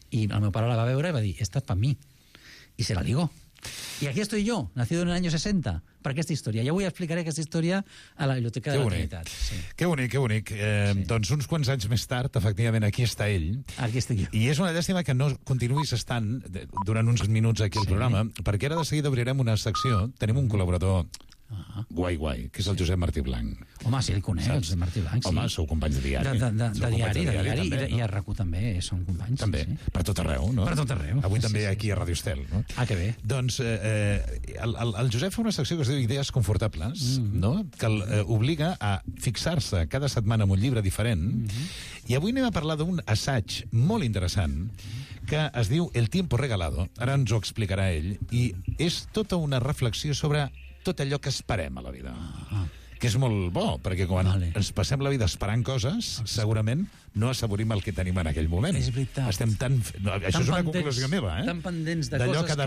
I el meu pare la va veure i va dir, esta es para mí. I se la ligó. Y aquí estoy yo, nacido en el año 60, per aquesta història. Ja avui explicaré aquesta història a la Biblioteca de la Trinitat. Sí. Que bonic, que bonic. Doncs uns quants anys més tard, efectivament, aquí està ell. Aquí estic jo. I és una llàstima que no continuïs estant durant uns minuts aquí al programa, perquè ara de seguida obrirem una secció. Tenim un col·laborador guai, que és el Josep Martí Blanc. Home, sí, el conec, el Josep Martí Blanc, sí. Home, sou companys de diari. De diari, i a RAC1 també són companys. També, per tot arreu, no? Per tot arreu. Avui també aquí a Radio Estel, no? Ah, que bé. Doncs el Josep fa una secció que es diu Idees Confortables, no? Que obliga a fixar-se cada setmana en un llibre diferent, i avui anem a parlar d'un assaig molt interessant que es diu El tiempo regalado, ara ens ho explicarà ell, i és tota una reflexió sobre tot allò que esperem a la vida. Que és molt bo, perquè quan ens passem la vida esperant coses, segurament no assaborim el que tenim en aquell moment. És veritat. Estem tan... No, això és una conclusió meva, Tan pendents de coses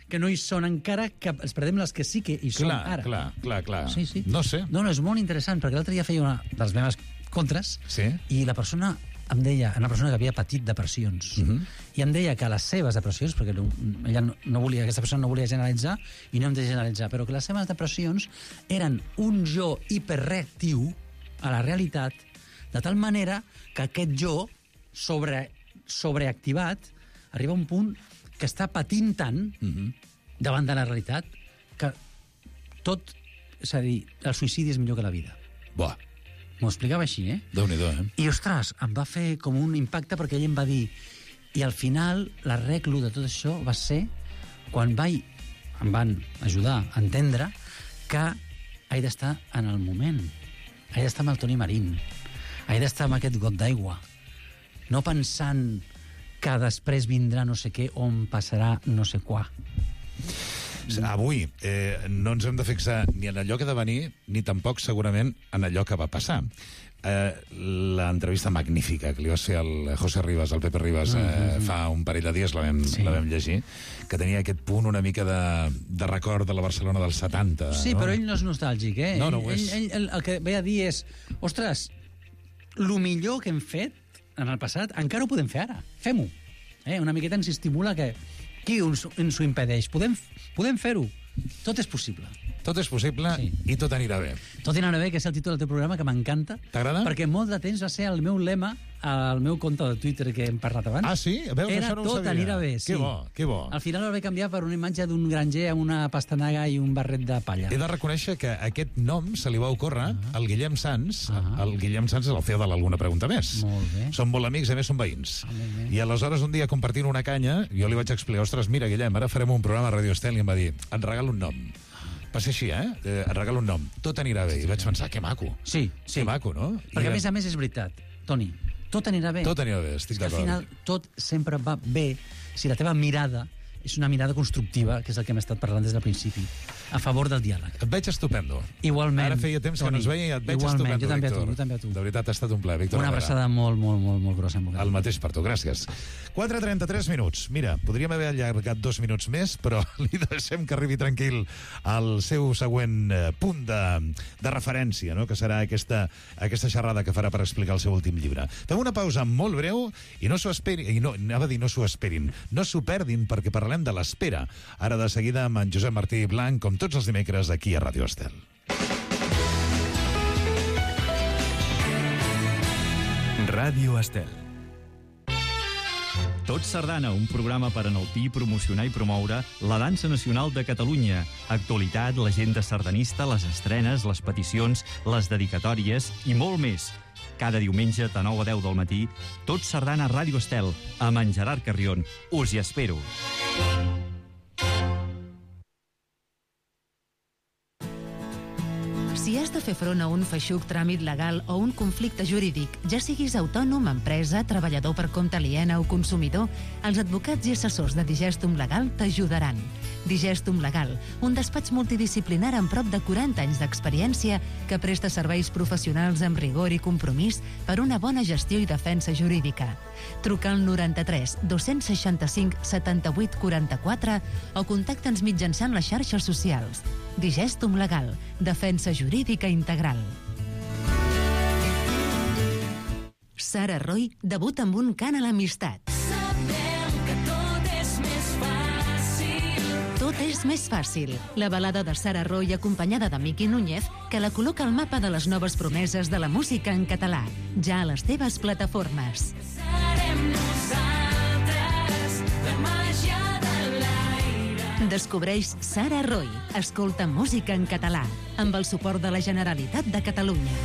que no hi són encara, que els perdem les que sí que hi són ara. Clar. Sí. No sé. No, és molt interessant, perquè l'altre dia feia una de les meves contres, i la persona em deia, una persona que havia patit depressions, i em deia que les seves depressions, perquè ella no volia, aquesta persona no volia generalitzar, i no hem de generalitzar, però que les seves depressions eren un jo hiperreactiu a la realitat, de tal manera que aquest jo sobreactivat arriba a un punt que està patint tant davant de la realitat que tot, és a dir, el suïcidi és millor que la vida. Buah. M'ho explicava així, Déu-n'hi-do, I, ostres, em va fer com un impacte perquè ell em va dir... I al final, l'arreglo de tot això va ser quan em van ajudar a entendre que he d'estar en el moment. He d'estar amb el Toni Marín. He d'estar amb aquest got d'aigua. No pensant que després vindrà no sé què o em passarà no sé quoi. Avui no ens hem de fixar ni en allò que ha de venir, ni tampoc segurament en allò que va passar. L'entrevista magnífica que li va fer al José Rivas, al Pepe Rivas, fa un parell de dies la vam llegir, que tenia aquest punt una mica de record de la Barcelona dels 70. Sí, però ell no és nostàlgic, No ho és. Ell el que ve a dir és, ostres, el millor que hem fet en el passat encara ho podem fer ara. Fem-ho. Una miqueta ens estimula que qui ens ho impedeix? Podem fer-ho. Tot és possible. Tot és possible i tot anirà bé. Tot anirà bé, que és el títol del teu programa, que m'encanta. T'agrada? Perquè molt de temps va ser el meu lema al meu compte de Twitter que hem parlat abans. Ah, sí? Veus, era això no ho tot sabia. anirà bé, sí. Que bo. Al final el vaig canviar per una imatge d'un granger amb una pastanaga i un barret de palla. He de reconèixer que aquest nom se li va ocórrer al Guillem Sans. El Guillem Sans és el CEO de l'Alguna Pregunta Més. Molt bé. Són molt amics, a més són veïns. I aleshores un dia compartint una canya, jo li vaig explicar, ostres, mira, Guillem, ara farem un programa a Radio Estel, i em va dir, et regalo un nom. Va ser així, et regalo un nom. Tot anirà bé. I vaig pensar, que maco. Sí. Que maco, no? Perquè a més és veritat, Toni, tot anirà bé. Tot anirà bé, estic d'acord. Al final tot sempre va bé si la teva mirada és una mirada constructiva, que és el que hem estat parlant des del principi, a favor del diàleg. Et veig estupendo. Igualment. Ara feia temps que no ens veia i et veig estupendo, jo també Víctor. Jo també a tu. De veritat, ha estat un plaer, Víctor. Una abraçada molt grossa. El mateix per tu, gràcies. 4:33 minuts. Mira, podríem haver allargat 2 minuts més, però li deixem que arribi tranquil al seu següent punt de referència, no? Que serà aquesta xerrada que farà per explicar el seu últim llibre. Fem una pausa molt breu i no s'ho esperin, no s'ho perdin, perquè parlem de l'espera. Ara de seguida amb en Josep Martí Blanc, com tots els dimecres, aquí a Radio Estel. Ràdio Estel. Tot Sardana, un programa per enaltir, promocionar i promoure la dansa nacional de Catalunya. Actualitat, l'agenda sardanista, les estrenes, les peticions, les dedicatòries i molt més. Cada diumenge de 9 a 10 del matí, Tot Sardana a Ràdio Estel, amb en Gerard Carrion. Us hi espero. Si has de fer front a un feixuc tràmit legal o un conflicte jurídic, ja siguis autònom, empresa, treballador per compte aliena o consumidor, els advocats i assessors de Digestum Legal t'ajudaran. Digestum Legal, un despatx multidisciplinar amb prop de 40 anys d'experiència que presta serveis professionals amb rigor i compromís per una bona gestió i defensa jurídica. Truca al 93 265 78 44 o contacta'ns mitjançant les xarxes socials. Digestum Legal, defensa jurídica integral. Sara Roy debuta amb un cant a l'amistat. Sabem que tot és més fàcil. Tot és més fàcil. La balada de Sara Roy acompanyada de Miki Núñez que la col·loca al mapa de les noves promeses de la música en català. Ja a les teves plataformes. Serem nosaltres, la màgia de l'aire. Descobreix Sara Roy. Escolta música en català amb el suport de la Generalitat de Catalunya.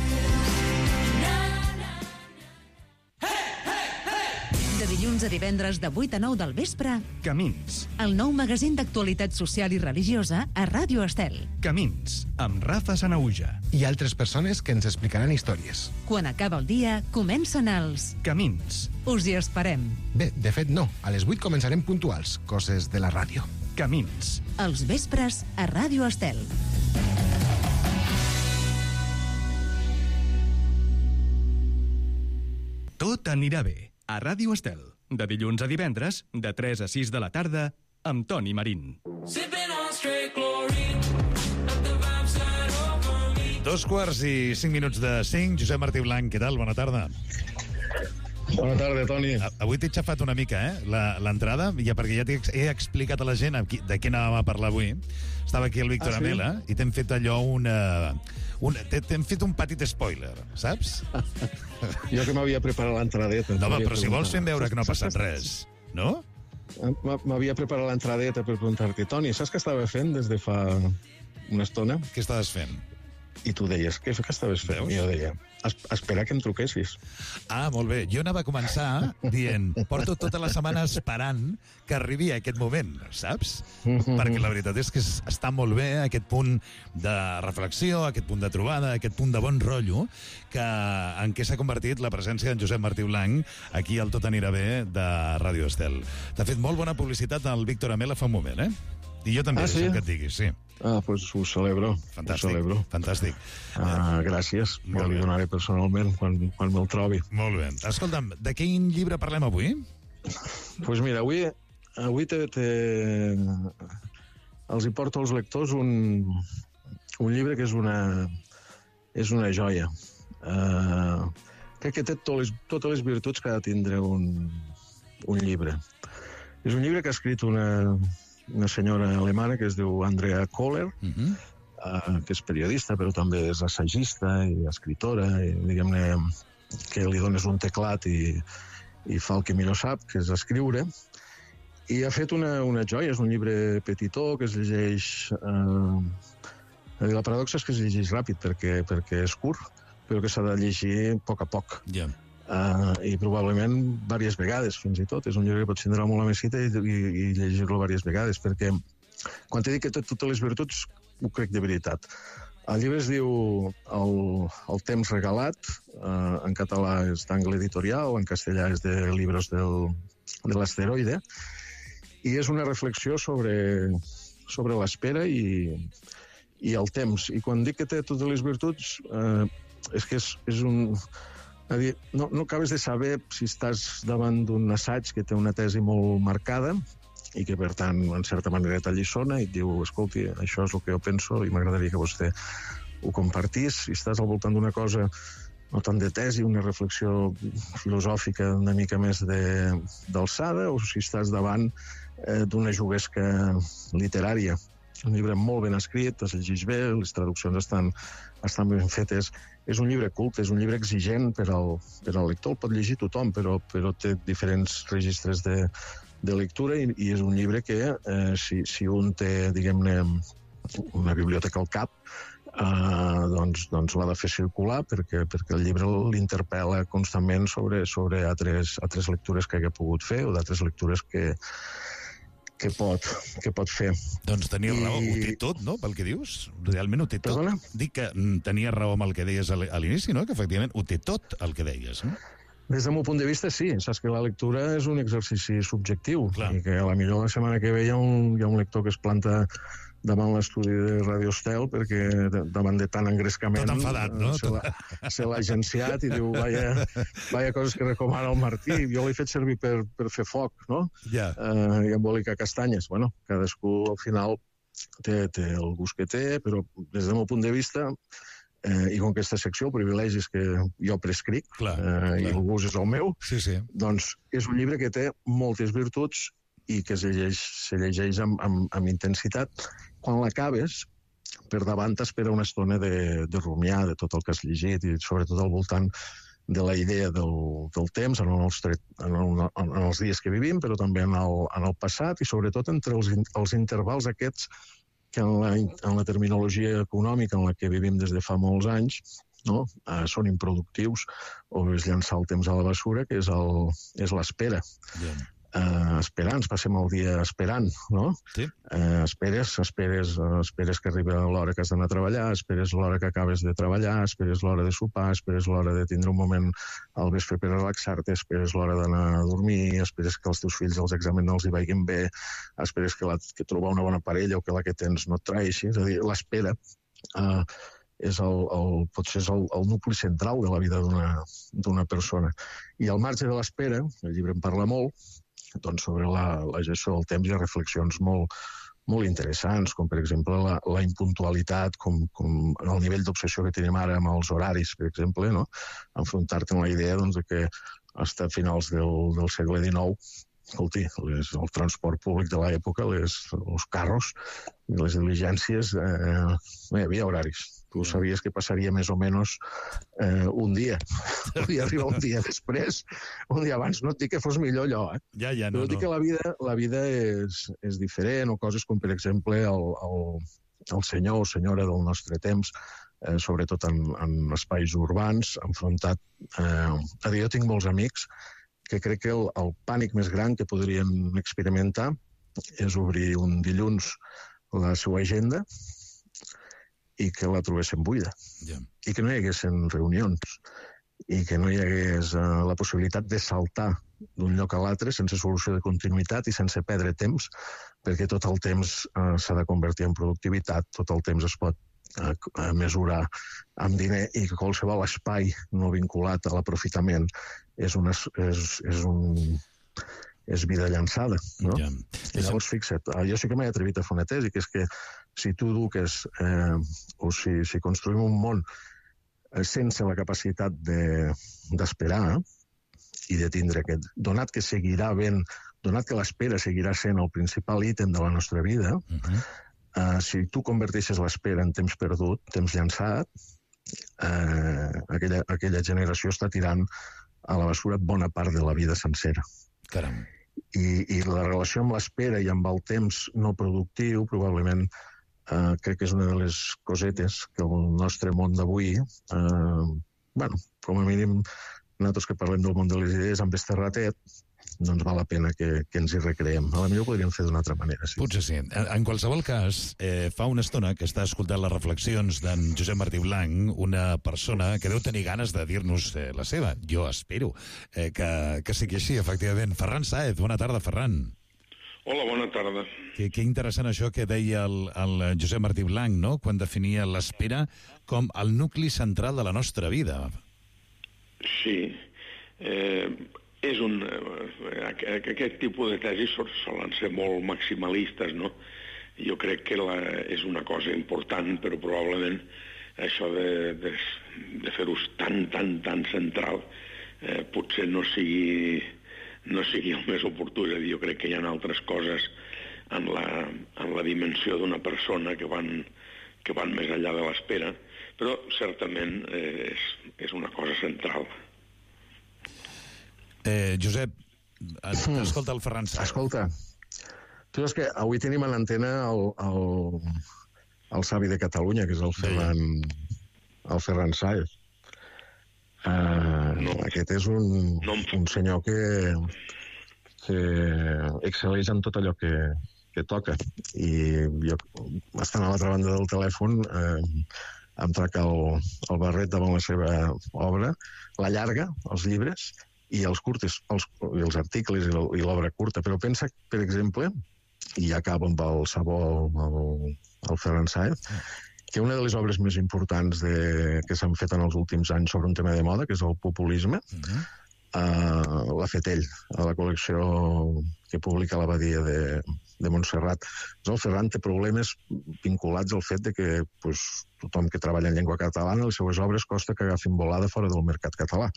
De dilluns a divendres de 8 a 9 del vespre, Camins. el nou magazín d'actualitat social i religiosa a Ràdio Estel. Camins, amb Rafa Sanauja. I altres persones que ens explicaran històries. Quan acaba el dia, comencen els Camins. Us hi esperem. Bé, de fet no. A les 8 començarem puntuals. Coses de la ràdio. Camins. Els vespres a Ràdio Estel. Tot anirà bé. A Ràdio Estel. De dilluns a divendres, de 3 a 6 de la tarda, amb Toni Marín. 2:05 de 5. Josep Martí Blanc, què tal? Bona tarda. Bona tarda, Toni. Avui t'he xafat una mica, l'entrada, ja perquè ja he explicat a la gent de què anàvem a parlar avui. Estava aquí el Víctor Amela i t'hem fet allò t'hem fet un petit spoiler, saps? Jo que m'havia preparat l'entradeta. No, però si vols fem veure que no ha passat res, no? M'havia preparat l'entradeta per preguntar-te, Toni, saps què estava fent des de fa una estona? Què estaves fent? I tu deies, què estaves fent? I jo deia, espera que em truquessis. Ah, molt bé. Jo anava a començar dient, porto tota la setmana esperant que arribi aquest moment, saps? Perquè la veritat és que està molt bé aquest punt de reflexió, aquest punt de trobada, aquest punt de bon rotllo en què s'ha convertit la presència d'en Josep Martí Blanc aquí al Tot anirà bé de Ràdio Estel. T'ha fet molt bona publicitat el Víctor Amela fa un moment, I jo també, sí? Que et diguis, sí. Doncs ho celebro. Fantàstic. Gràcies. Jo li donaré personalment quan me'l trobi. Molt bé. Escolta'm, de quin llibre parlem avui? Doncs mira, avui els hi porto als lectors un llibre que és una joia. Crec que té totes les virtuts que ha de tindre un llibre. És un llibre que ha escrit una senyora alemana que es diu Andrea Kohler, que és periodista, però també és assagista i escritora, i diguem-ne que li dones un teclat i fa el que millor sap, que és escriure. I ha fet una joia, és un llibre petitó que es llegeix... La paradoxa és que es llegeix ràpid perquè és curt, però que s'ha de llegir a poc. I probablement diverses vegades, fins i tot. És un llibre que pots tindre molt a mesita i llegir-lo diverses vegades, perquè quan t'he dit que té totes les virtuts, ho crec de veritat. El llibre es diu El temps regalat, en català és d'Angle Editorial, en castellà és de Libros de l'Asteroide, i és una reflexió sobre l'espera i el temps. I quan dic que té totes les virtuts, és que és un... No acabes de saber si estàs davant d'un assaig que té una tesi molt marcada i que, per tant, en certa manera t'alliçona i et diu, escolti, això és el que jo penso i m'agradaria que vostè ho compartís. Si estàs al voltant d'una cosa no tant de tesi, una reflexió filosòfica una mica més d'alçada, o si estàs davant d'una juguesca literària. Un llibre molt ben escrit, es llegeix bé, les traduccions estan ben fetes. És un llibre culte, és un llibre exigent per al lector, el pot llegir tothom, però té diferents registres de lectura i és un llibre que, si un té, diguem-ne, una biblioteca al cap, doncs l'ha de fer circular perquè el llibre l'interpel·la constantment sobre altres lectures que hagi pogut fer o d'altres lectures que pot fer. Doncs tenies raó, ho té tot, no?, pel que dius? Realment ho té tot. Perdona? Dic que tenies raó amb el que deies a l'inici, no?, que efectivament ho té tot el que deies, no? Des del meu punt de vista, sí. Saps que la lectura és un exercici subjectiu. Clar. I que a la millor la setmana que ve hi ha un lector que es planta davant l'estudi de Radio Estel perquè davant de tant engrescament tot enfadat, no? Se l'ha agenciat i diu, vaya coses que recomana el Martí, jo l'he fet servir per fer foc, no? Ja. I embolicar castanyes. Bueno, cadascú al final té el gust que té, però des del meu punt de vista i com que aquesta secció, el privilegi és que jo prescric, i el gust és el meu, doncs és un llibre que té moltes virtuts i que se llegeix amb intensitat. Quan l'acabes, per davant t'espera una estona de rumiar de tot el que has llegit i sobretot al voltant de la idea del temps en els dies que vivim, però també en el passat i sobretot entre els intervals aquests que en la terminologia econòmica en la que vivim des de fa molts anys són improductius o és llançar el temps a la bessura, que és l'espera. Esperant, passem el dia esperant, no? Sí. Esperes que arribi l'hora que has d'anar a treballar, esperes l'hora que acabes de treballar, esperes l'hora de sopar, esperes l'hora de tindre un moment al vespre per relaxar-te, esperes l'hora d'anar a dormir, esperes que els teus fills els exàmens no els hi vagin bé, esperes que trobar una bona parella o que la que tens no et traeixi. És a dir, l'espera potser és el nucli central de la vida d'una persona. I al marge de l'espera, el llibre en parla molt, doncs sobre la gestió del temps hi ha reflexions molt interessants, com per exemple la impuntualitat, com el nivell d'obsessió que tenim ara amb els horaris, per exemple, no? Enfrontar-te amb la idea de que fins a finals del segle XIX, escolti, el transport públic de l'època, els carros i les diligències, no hi havia horaris. Tu sabies que passaria més o menys un dia. Podia arribar un dia després, un dia abans. No et dic que fos millor allò, Però dic que la vida és diferent, o coses com, per exemple, el senyor o senyora del nostre temps, sobretot en espais urbans, enfrontat a dir, jo tinc molts amics que crec que el pànic més gran que podrien experimentar és obrir un dilluns la seva agenda i que la trobessin buida. I que no hi haguessin reunions i que no hi hagués la possibilitat de saltar d'un lloc a l'altre sense solució de continuïtat i sense perdre temps, perquè tot el temps s'ha de convertir en productivitat, tot el temps es pot mesurar amb diner i que qualsevol espai no vinculat a l'aprofitament és vida llançada, no? I llavors, fixa't, jo sí que m'he atrevit a fer una tesi, que és que si tu eduques o si construïm un món sense la capacitat d'esperar i de tindre aquest... Donat que seguirà havent, donat que l'espera seguirà sent el principal ítem de la nostra vida, si tu converteixes l'espera en temps perdut, temps llançat, aquella generació està tirant a la bessura bona part de la vida sencera. Caram. I la relació amb l'espera i amb el temps no productiu probablement crec que és una de les cosetes que el nostre món d'avui, com a mínim nosaltres que parlem del món de les idees amb este ratet, doncs val la pena que ens hi recreem. A la millor ho podríem fer d'una altra manera. Sí. Potser sí. En qualsevol cas, fa una estona que està escoltant les reflexions d'en Josep Martí Blanc, una persona que deu tenir ganes de dir-nos la seva. Jo espero que sigui així, efectivament. Ferran Sáez, bona tarda, Ferran. Hola, bona tarda. Que interessant això que deia el Josep Martí Blanc, no?, quan definia l'espera com el nucli central de la nostra vida. Sí. Aquest tipus de tesis solen ser molt maximalistes, no? Jo crec que és una cosa important, però probablement això de fer-ho tan central potser no sigui el més oportú. És a dir, jo crec que hi ha altres coses en la dimensió d'una persona que van més enllà de l'espera, però certament és una cosa central. Josep, escolta el Ferran Sáez. Escolta, tu saps que avui tenim a l'antena el savi de Catalunya, que és el Ferran Sáez. Aquest és un senyor que excel·leix en tot allò que toca. I jo, estant a l'altra banda del telèfon, em trac el barret davant la seva obra, la llarga, els llibres, i els curtes, els articles i l'obra curta, però pensa, per exemple, i ja acabo amb el Sabó, el Ferran Sáez, que una de les obres més importants que s'han fet en els últims anys sobre un tema de moda, que és el populisme, l'ha fet ell, a la col·lecció que publica l'Abadia de Montserrat. El Ferran té problemes vinculats al fet de que tothom que treballa en llengua catalana, les seues obres costa que agafin volada fora del mercat català.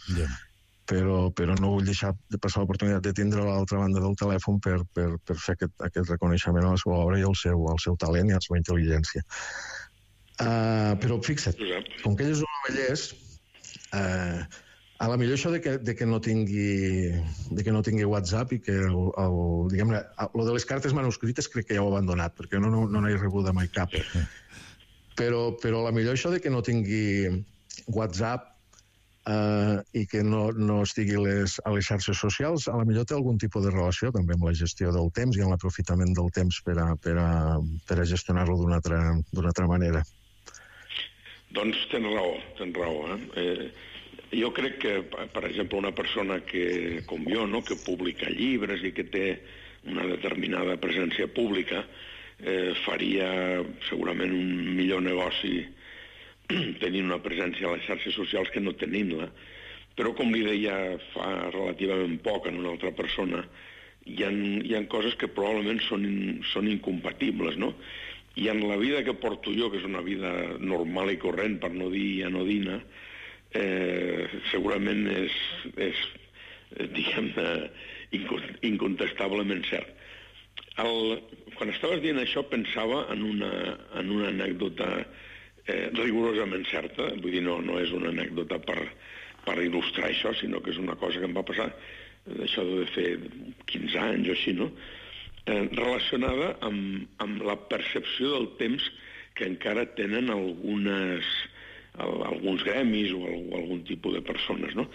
Però no vull deixar de passar l'oportunitat de tindre a l'altra banda del telèfon per fer aquest reconeixement a la seva obra i al seu talent i a la seva intel·ligència. Però fixa't, com que ell és un novellès, a la millor això de que no tingui WhatsApp i que diguem-ne, lo de les cartes manuscrites crec que ja ho ha abandonat, perquè no n'he rebuda mai cap. Però a la millor això de que no tingui WhatsApp i que no estigui a les xarxes socials, a la millor té algun tipus de relació també amb la gestió del temps i amb l'aprofitament del temps per a gestionar-lo d'una altra manera. Doncs tens raó. Jo crec que, per exemple, una persona com jo, que publica llibres i que té una determinada presència pública, faria segurament un millor negoci tenint una presència a les xarxes socials que no tenint-la. Però, com li deia fa relativament poc a una altra persona, hi ha coses que probablement són incompatibles, no? I en la vida que porto jo, que és una vida normal i corrent, per no dir anodina, segurament és diguem-ne, incontestablement cert. Quan estaves dient això pensava en una anècdota rigorosament certa, vull dir, no és una anècdota per il·lustrar això, sinó que és una cosa que em va passar, això de fer 15 anys o així, no?, relacionada amb la percepció del temps que encara tenen alguns gremis o algun tipus de persones, no?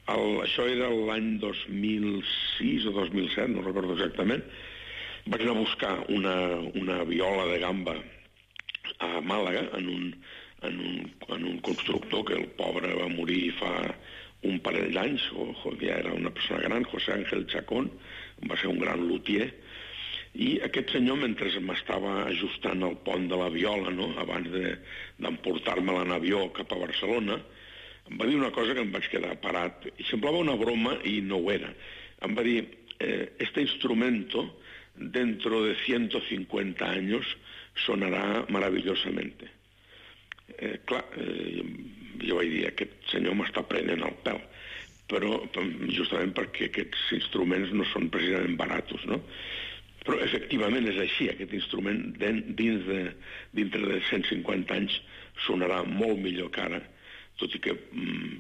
Això era l'any 2006 o 2007, no recordo exactament. Vaig anar a buscar una viola de gamba a Màlaga en un constructor que el pobre va morir fa un parell d'anys, ja era una persona gran, José Ángel Chacón, va ser un gran luthier, i aquest senyor, mentre m'estava ajustant el pont de la viola, no?, abans d'emportar-me-la en avió cap a Barcelona, em va dir una cosa que em vaig quedar parat, i semblava una broma i no ho era. Em va dir, este instrumento dentro de 150 años sonará maravillosamente. Clar, jo vaig dir, aquest senyor m'està prenent el pèl, però justament perquè aquests instruments no són precisament baratos, no? Però efectivament és així, aquest instrument dintre de 150 anys sonarà molt millor que ara, tot i que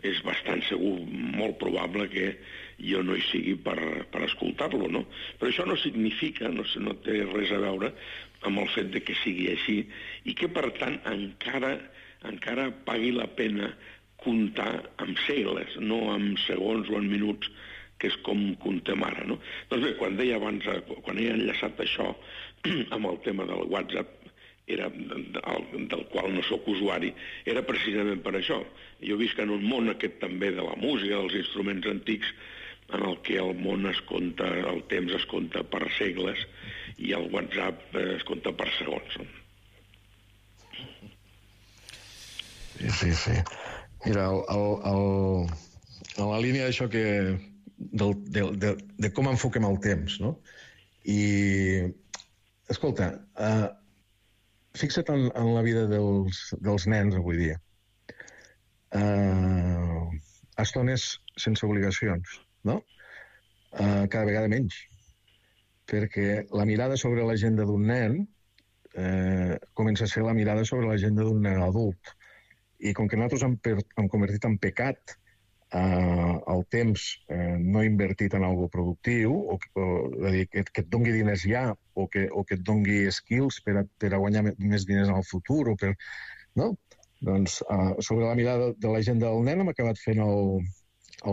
és bastant segur, molt probable que jo no hi sigui per escoltar-lo, no? Però això no significa, no té res a veure amb el fet de que sigui així i que, per tant, encara pagui la pena comptar amb segles, no amb segons o en minuts, que és com comptem ara, no? Doncs bé, quan deia abans, quan he enllaçat això amb el tema del WhatsApp, del qual no sóc usuari, era precisament per això. Jo visc en un món aquest també de la música, dels instruments antics, en el que el món el temps es compta per segles i el WhatsApp es compta per segons. Sí. Mira, en la línia d'això de com enfoquem el temps, no? I, escolta, fixa't en la vida dels nens avui dia. Estones sense obligacions, no? Cada vegada menys. Perquè la mirada sobre l'agenda d'un nen comença a ser la mirada sobre l'agenda d'un nen adult. I com que nosaltres hem convertit en pecat el temps no invertit en alguna cosa productiu, que et doni diners ja, o que et doni skills per a guanyar més diners en el futur, no? Doncs sobre la mirada de la gent del nen hem acabat fent el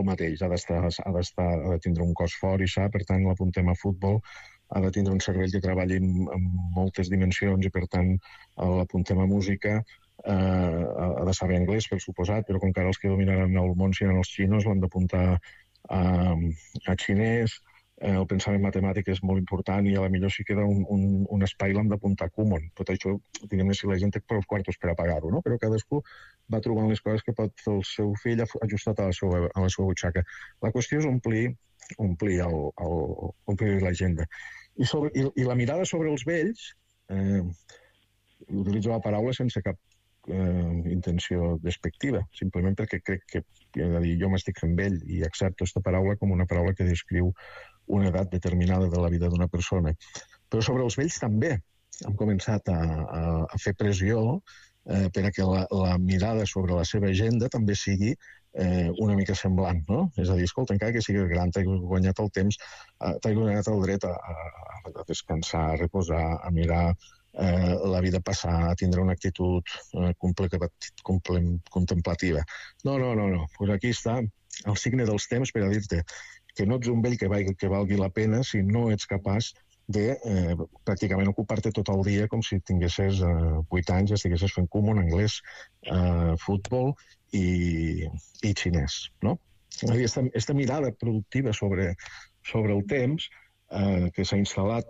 mateix. Ha de tindre un cos fort i sa, per tant l'apuntem a futbol, ha de tindre un cervell que treballi en moltes dimensions i per tant l'apuntem a música, ha de saber anglès, per suposat, però com que ara els que dominaran el món seran els xinos, l'han d'apuntar a xinès, el pensament matemàtic és molt important i a la millor si queda un espai l'hem d'apuntar comú. Tot això, diguem-ne, si la gent té prou quartos per a pagar-ho, no? Però cadascú va trobant les coses que pot fer el seu fill ajustat a la seva butxaca. La qüestió és omplir l'agenda. I la mirada sobre els vells, utilitzo la paraula sense cap intenció despectiva, simplement perquè crec que, jo m'estic fent vell i accepto aquesta paraula com una paraula que descriu una edat determinada de la vida d'una persona. Però sobre els vells també hem començat a fer pressió per a que la mirada sobre la seva agenda també sigui una mica semblant, no? És a dir, escolta, encara que siguis gran, t'has guanyat el temps, t'has guanyat el dret a descansar, a reposar, a mirar la vida passar, a tindre una actitud contemplativa. No. Pues aquí està el signe dels temps per a dir-te que no ets un vell que valgui la pena si no ets capaç de pràcticament ocupar-te tot el dia com si tinguessis 8 anys i estiguessis fent comú en anglès, futbol i xinès, no? Aquesta mirada productiva sobre el temps que s'ha instal·lat,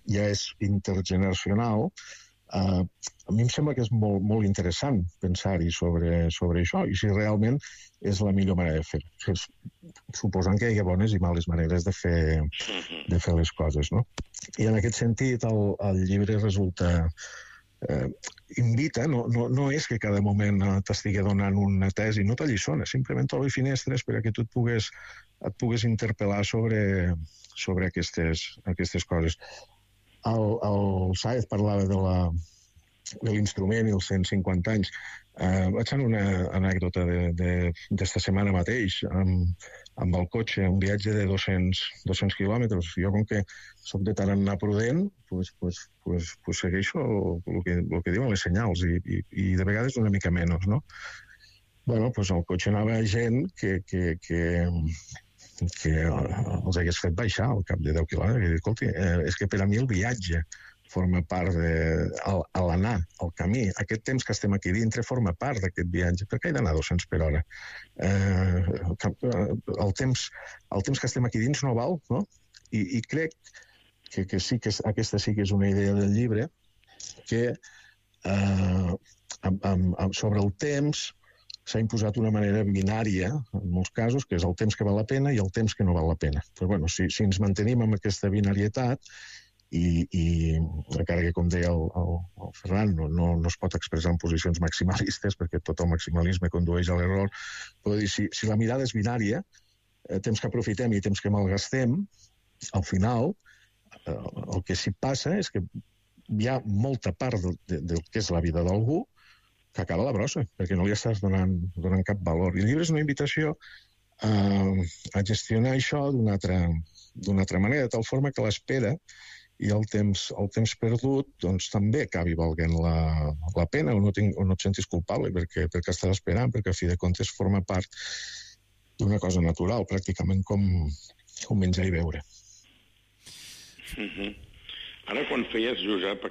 ja és intergeneracional, a mi em sembla que és molt interessant pensar-hi sobre això i si realment és la millor manera de fer-ho. Suposant que hi ha bones i males maneres de fer les coses, no? I en aquest sentit el llibre resulta invita, no és que cada moment t'estigui donant una tesi, no t'alliçona, simplement t'obre finestres per a que tu et puguis interpel·lar sobre aquestes coses. El Sáez parlava de l'instrument i els 150 anys. Vaig anar una anècdota d'esta setmana mateix amb el cotxe, un viatge de 200 quilòmetres. Jo, com que soc de tarannà prudent, pues segueixo el que diuen les senyals i de vegades una mica menys, no? Bueno, pues al cotxe anava gent que els hagués fet baixar al cap de 10 quilòmetres i dir, escolti, és que per a mi el viatge forma part a l'anar, al camí. Aquest temps que estem aquí dintre forma part d'aquest viatge. Per què he d'anar a 200 per hora? El temps que estem aquí dins no val, no? I crec que sí que aquesta sí que és una idea del llibre que sobre el temps s'ha imposat una manera binària, en molts casos, que és el temps que val la pena i el temps que no val la pena. Però bueno, si ens mantenim amb aquesta binarietat i encara que, com deia el Ferran, no es pot expressar en posicions maximalistes perquè tot el maximalisme condueix a l'error, però dir, si la mirada és binària, temps que aprofitem i temps que malgastem, al final el que s'hi passa és que hi ha molta part del que és la vida d'algú que acaba a la brossa, perquè no li estàs donant cap valor. I el llibre és una invitació a gestionar això d'una altra manera, de tal forma que l'espera i el temps perdut doncs, també acabi valent la pena o no et sentis culpable perquè estàs esperant, perquè a fi de comptes forma part d'una cosa natural, pràcticament com menjar i beure. Ara, quan feies, Josep,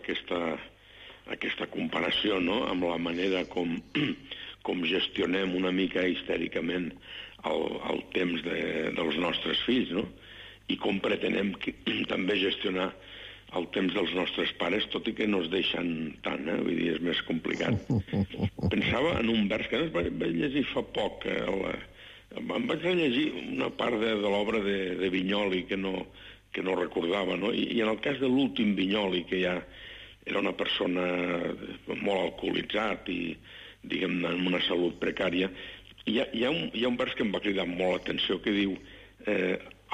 aquesta comparació, no?, amb la manera com gestionem una mica histèricament el temps dels nostres fills, no?, i com pretenem també gestionar el temps dels nostres pares, tot i que no es deixen tant, vull dir, és més complicat. Pensava en un vers que vaig llegir fa poc, em vaig llegir una part de l'obra de Vinyoli que no recordava, no?, i en el cas de l'últim Vinyoli, que ja era una persona molt alcoholitzat i, diguem-ne, amb una salut precària, hi ha un vers que em va cridar molt l'atenció que diu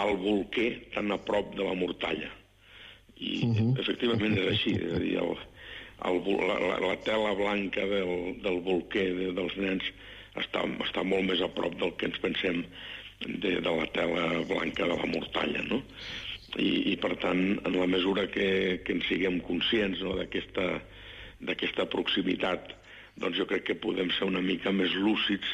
el bolquer tan a prop de la mortalla. I efectivament és així, és a dir, la tela blanca del bolquer dels nens està molt més a prop del que ens pensem de la tela blanca de la mortalla, no? I per tant, en la mesura que en siguem conscients, no, d'aquesta proximitat, doncs jo crec que podem ser una mica més lúcids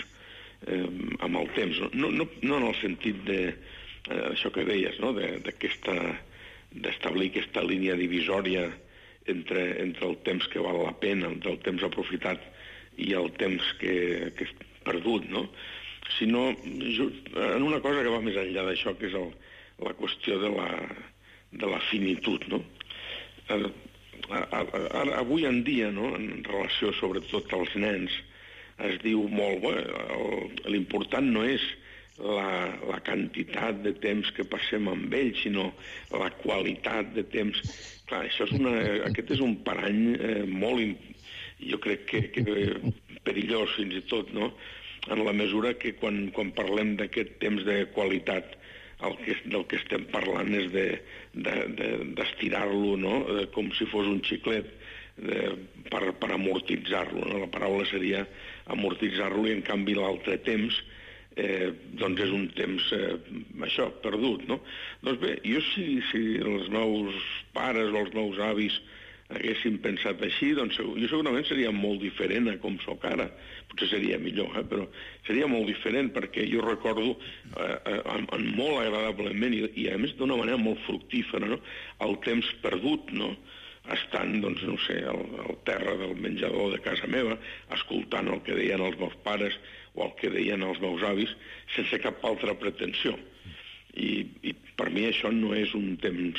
amb el temps. No en el sentit d'això que deies, no?, d'establir aquesta línia divisòria entre el temps que val la pena, entre el temps aprofitat i el temps que és perdut, no? sinó en una cosa que va més enllà d'això, que és la qüestió de la finitud, no? Avui en dia, no, en relació sobretot als nens, es diu molt, l'important no és la quantitat de temps que passem amb ells, sinó la qualitat de temps. Clar, aquest és un parany molt, jo crec que perillós fins i tot, no? En la mesura que quan parlem d'aquest temps de qualitat, del que estem parlant és d'estirar-lo, no? Com si fos un xiclet, per amortitzar-lo, no? La paraula seria amortitzar-lo, i en canvi l'altre temps doncs és un temps perdut, no? Doncs bé, jo si els meus pares o els meus avis haguessin pensat així, doncs jo segurament seria molt diferent a com sóc ara. Potser seria millor, però seria molt diferent, perquè jo recordo molt agradablement i a més d'una manera molt fructífera, no? El temps perdut, no? Estant, doncs, no sé, al terra del menjador de casa meva, escoltant el que deien els meus pares o el que deien els meus avis, sense cap altra pretensió. I per mi això no és un temps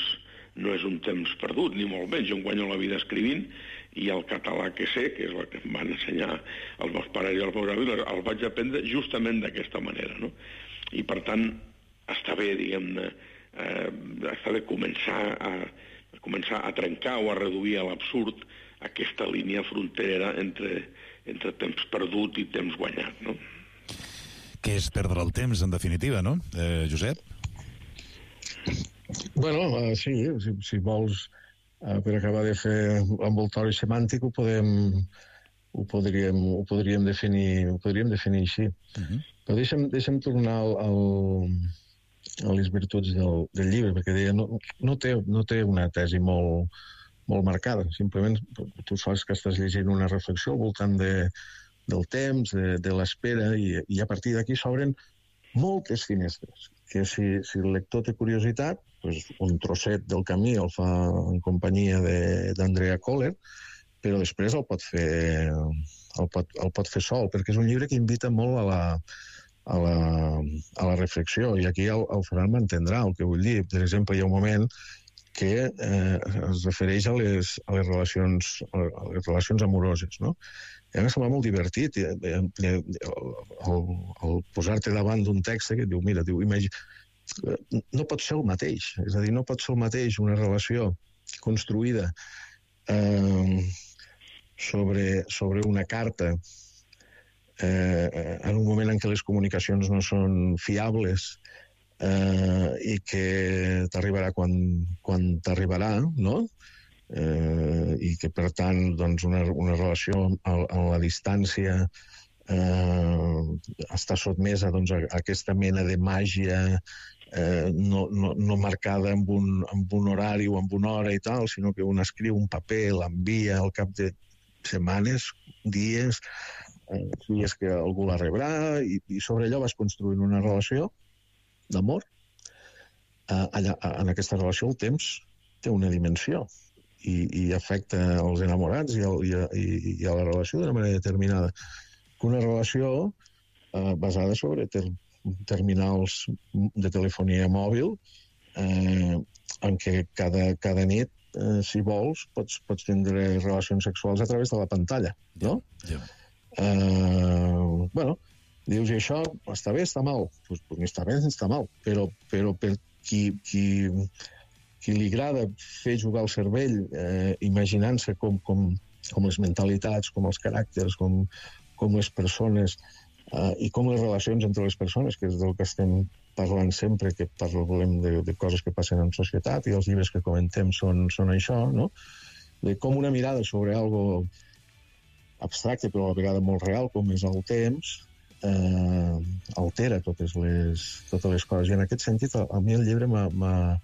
perdut, ni molt menys. Jo em guanyo la vida escrivint, i el català que sé, que és el que em van ensenyar els meus pares i els meus avis, el vaig aprendre justament d'aquesta manera, no? I per tant, està bé, diguem-ne, està bé començar a trencar o a reduir a l'absurd aquesta línia fronterera entre temps perdut i temps guanyat, no? Què és perdre el temps, en definitiva, no, Josep? Bueno, sí, si vols, per acabar de fer l'envoltori semàntic, ho podríem definir així. Però deixa'm tornar a les virtuts del llibre, perquè deia, no té una tesi molt marcada, simplement tu saps que estàs llegint una reflexió al voltant del temps, de l'espera, i a partir d'aquí s'obren moltes finestres, que si el lector té curiositat, un trosset del camí el fa en companyia d'Andrea Kohler, però després el pot fer sol, perquè és un llibre que invita molt a la reflexió, i aquí el Ferran m'entendrà el que vull dir. Per exemple, hi ha un moment que es refereix a les relacions amoroses, no? I a mi sembla molt divertit el posar-te davant d'un text que et diu, mira, no pot ser el mateix, és a dir, no pot ser el mateix una relació construïda sobre una carta en un moment en què les comunicacions no són fiables i que t'arribarà quan t'arribarà, no? I que, per tant, doncs, una relació a la distància està sotmesa a aquesta mena de màgia no marcada amb un horari o amb una hora i tal, sinó que un escriu un paper, l'envia al cap de setmanes, dies que algú la rebrà, i sobre allò vas construint una relació d'amor. En aquesta relació el temps té una dimensió i afecta els enamorats i a la relació d'una manera determinada. Una relació basada sobre terminals de telefonia mòbil en què cada nit, si vols, pots tindre relacions sexuals a través de la pantalla, no? Bueno, dius, i això està bé, està mal? Doncs ni està bé ni està mal, però per qui li agrada fer jugar el cervell imaginant-se com les mentalitats, com els caràcters, com les persones i com les relacions entre les persones, que és del que estem parlant sempre, que parlem de coses que passen en societat, i els llibres que comentem són això, no? De com una mirada sobre algo abstracte, però a la vegada molt real, com és el temps, altera totes les coses. I en aquest sentit, a mi el llibre m'ha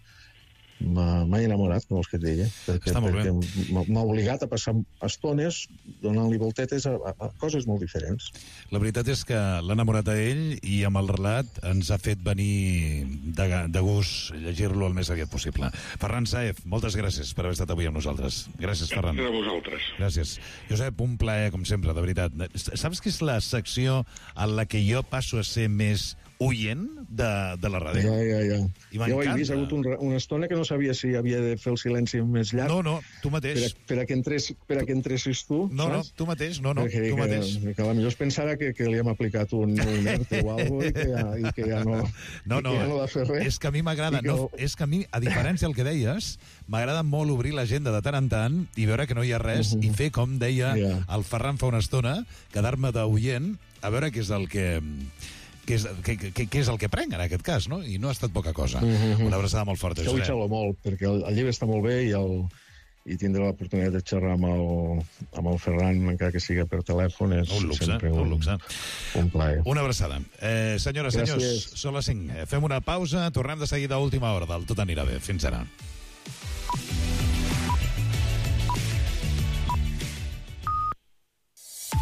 m'ha enamorat, com els que et deia, perquè m'ha obligat a passar estones donant-li voltetes a coses molt diferents. La veritat és que l'ha enamorat a ell i amb el relat ens ha fet venir de gust llegir-lo el més aviat possible. Ferran Saez, moltes gràcies per haver estat avui amb nosaltres. Gràcies, Ferran. Gràcies a vosaltres. Gràcies. Josep, un plaer, com sempre, de veritat. Saps que és la secció en la que jo passo a ser més oient de la ràdio? Ja. I jo ho he vist, ha hagut una estona que no sabia si havia de fer el silenci més llarg. No, tu mateix. Per a que entressis tu, saps? Tu mateix, tu mateix. Que potser es pensara que li hem aplicat un ERTE o alguna cosa i que ja no va fer res. És que a mi m'agrada, és que a mi, a diferència del que deies, m'agrada molt obrir l'agenda de tant en tant i veure que no hi ha res i fer, com deia el Ferran fa una estona, quedar-me d'oient a veure què és el que és el que prenc en aquest cas, no? I no ha estat poca cosa. Una abraçada molt forta. Això ho xalo molt, perquè el llibre està molt bé i tindré l'oportunitat de xerrar amb el Ferran, encara que sigui per telèfon, és sempre un plaer. Una abraçada. Senyores, senyors, són les 5. Fem una pausa, tornem de seguida a última hora del Tot anirà bé. Fins ara.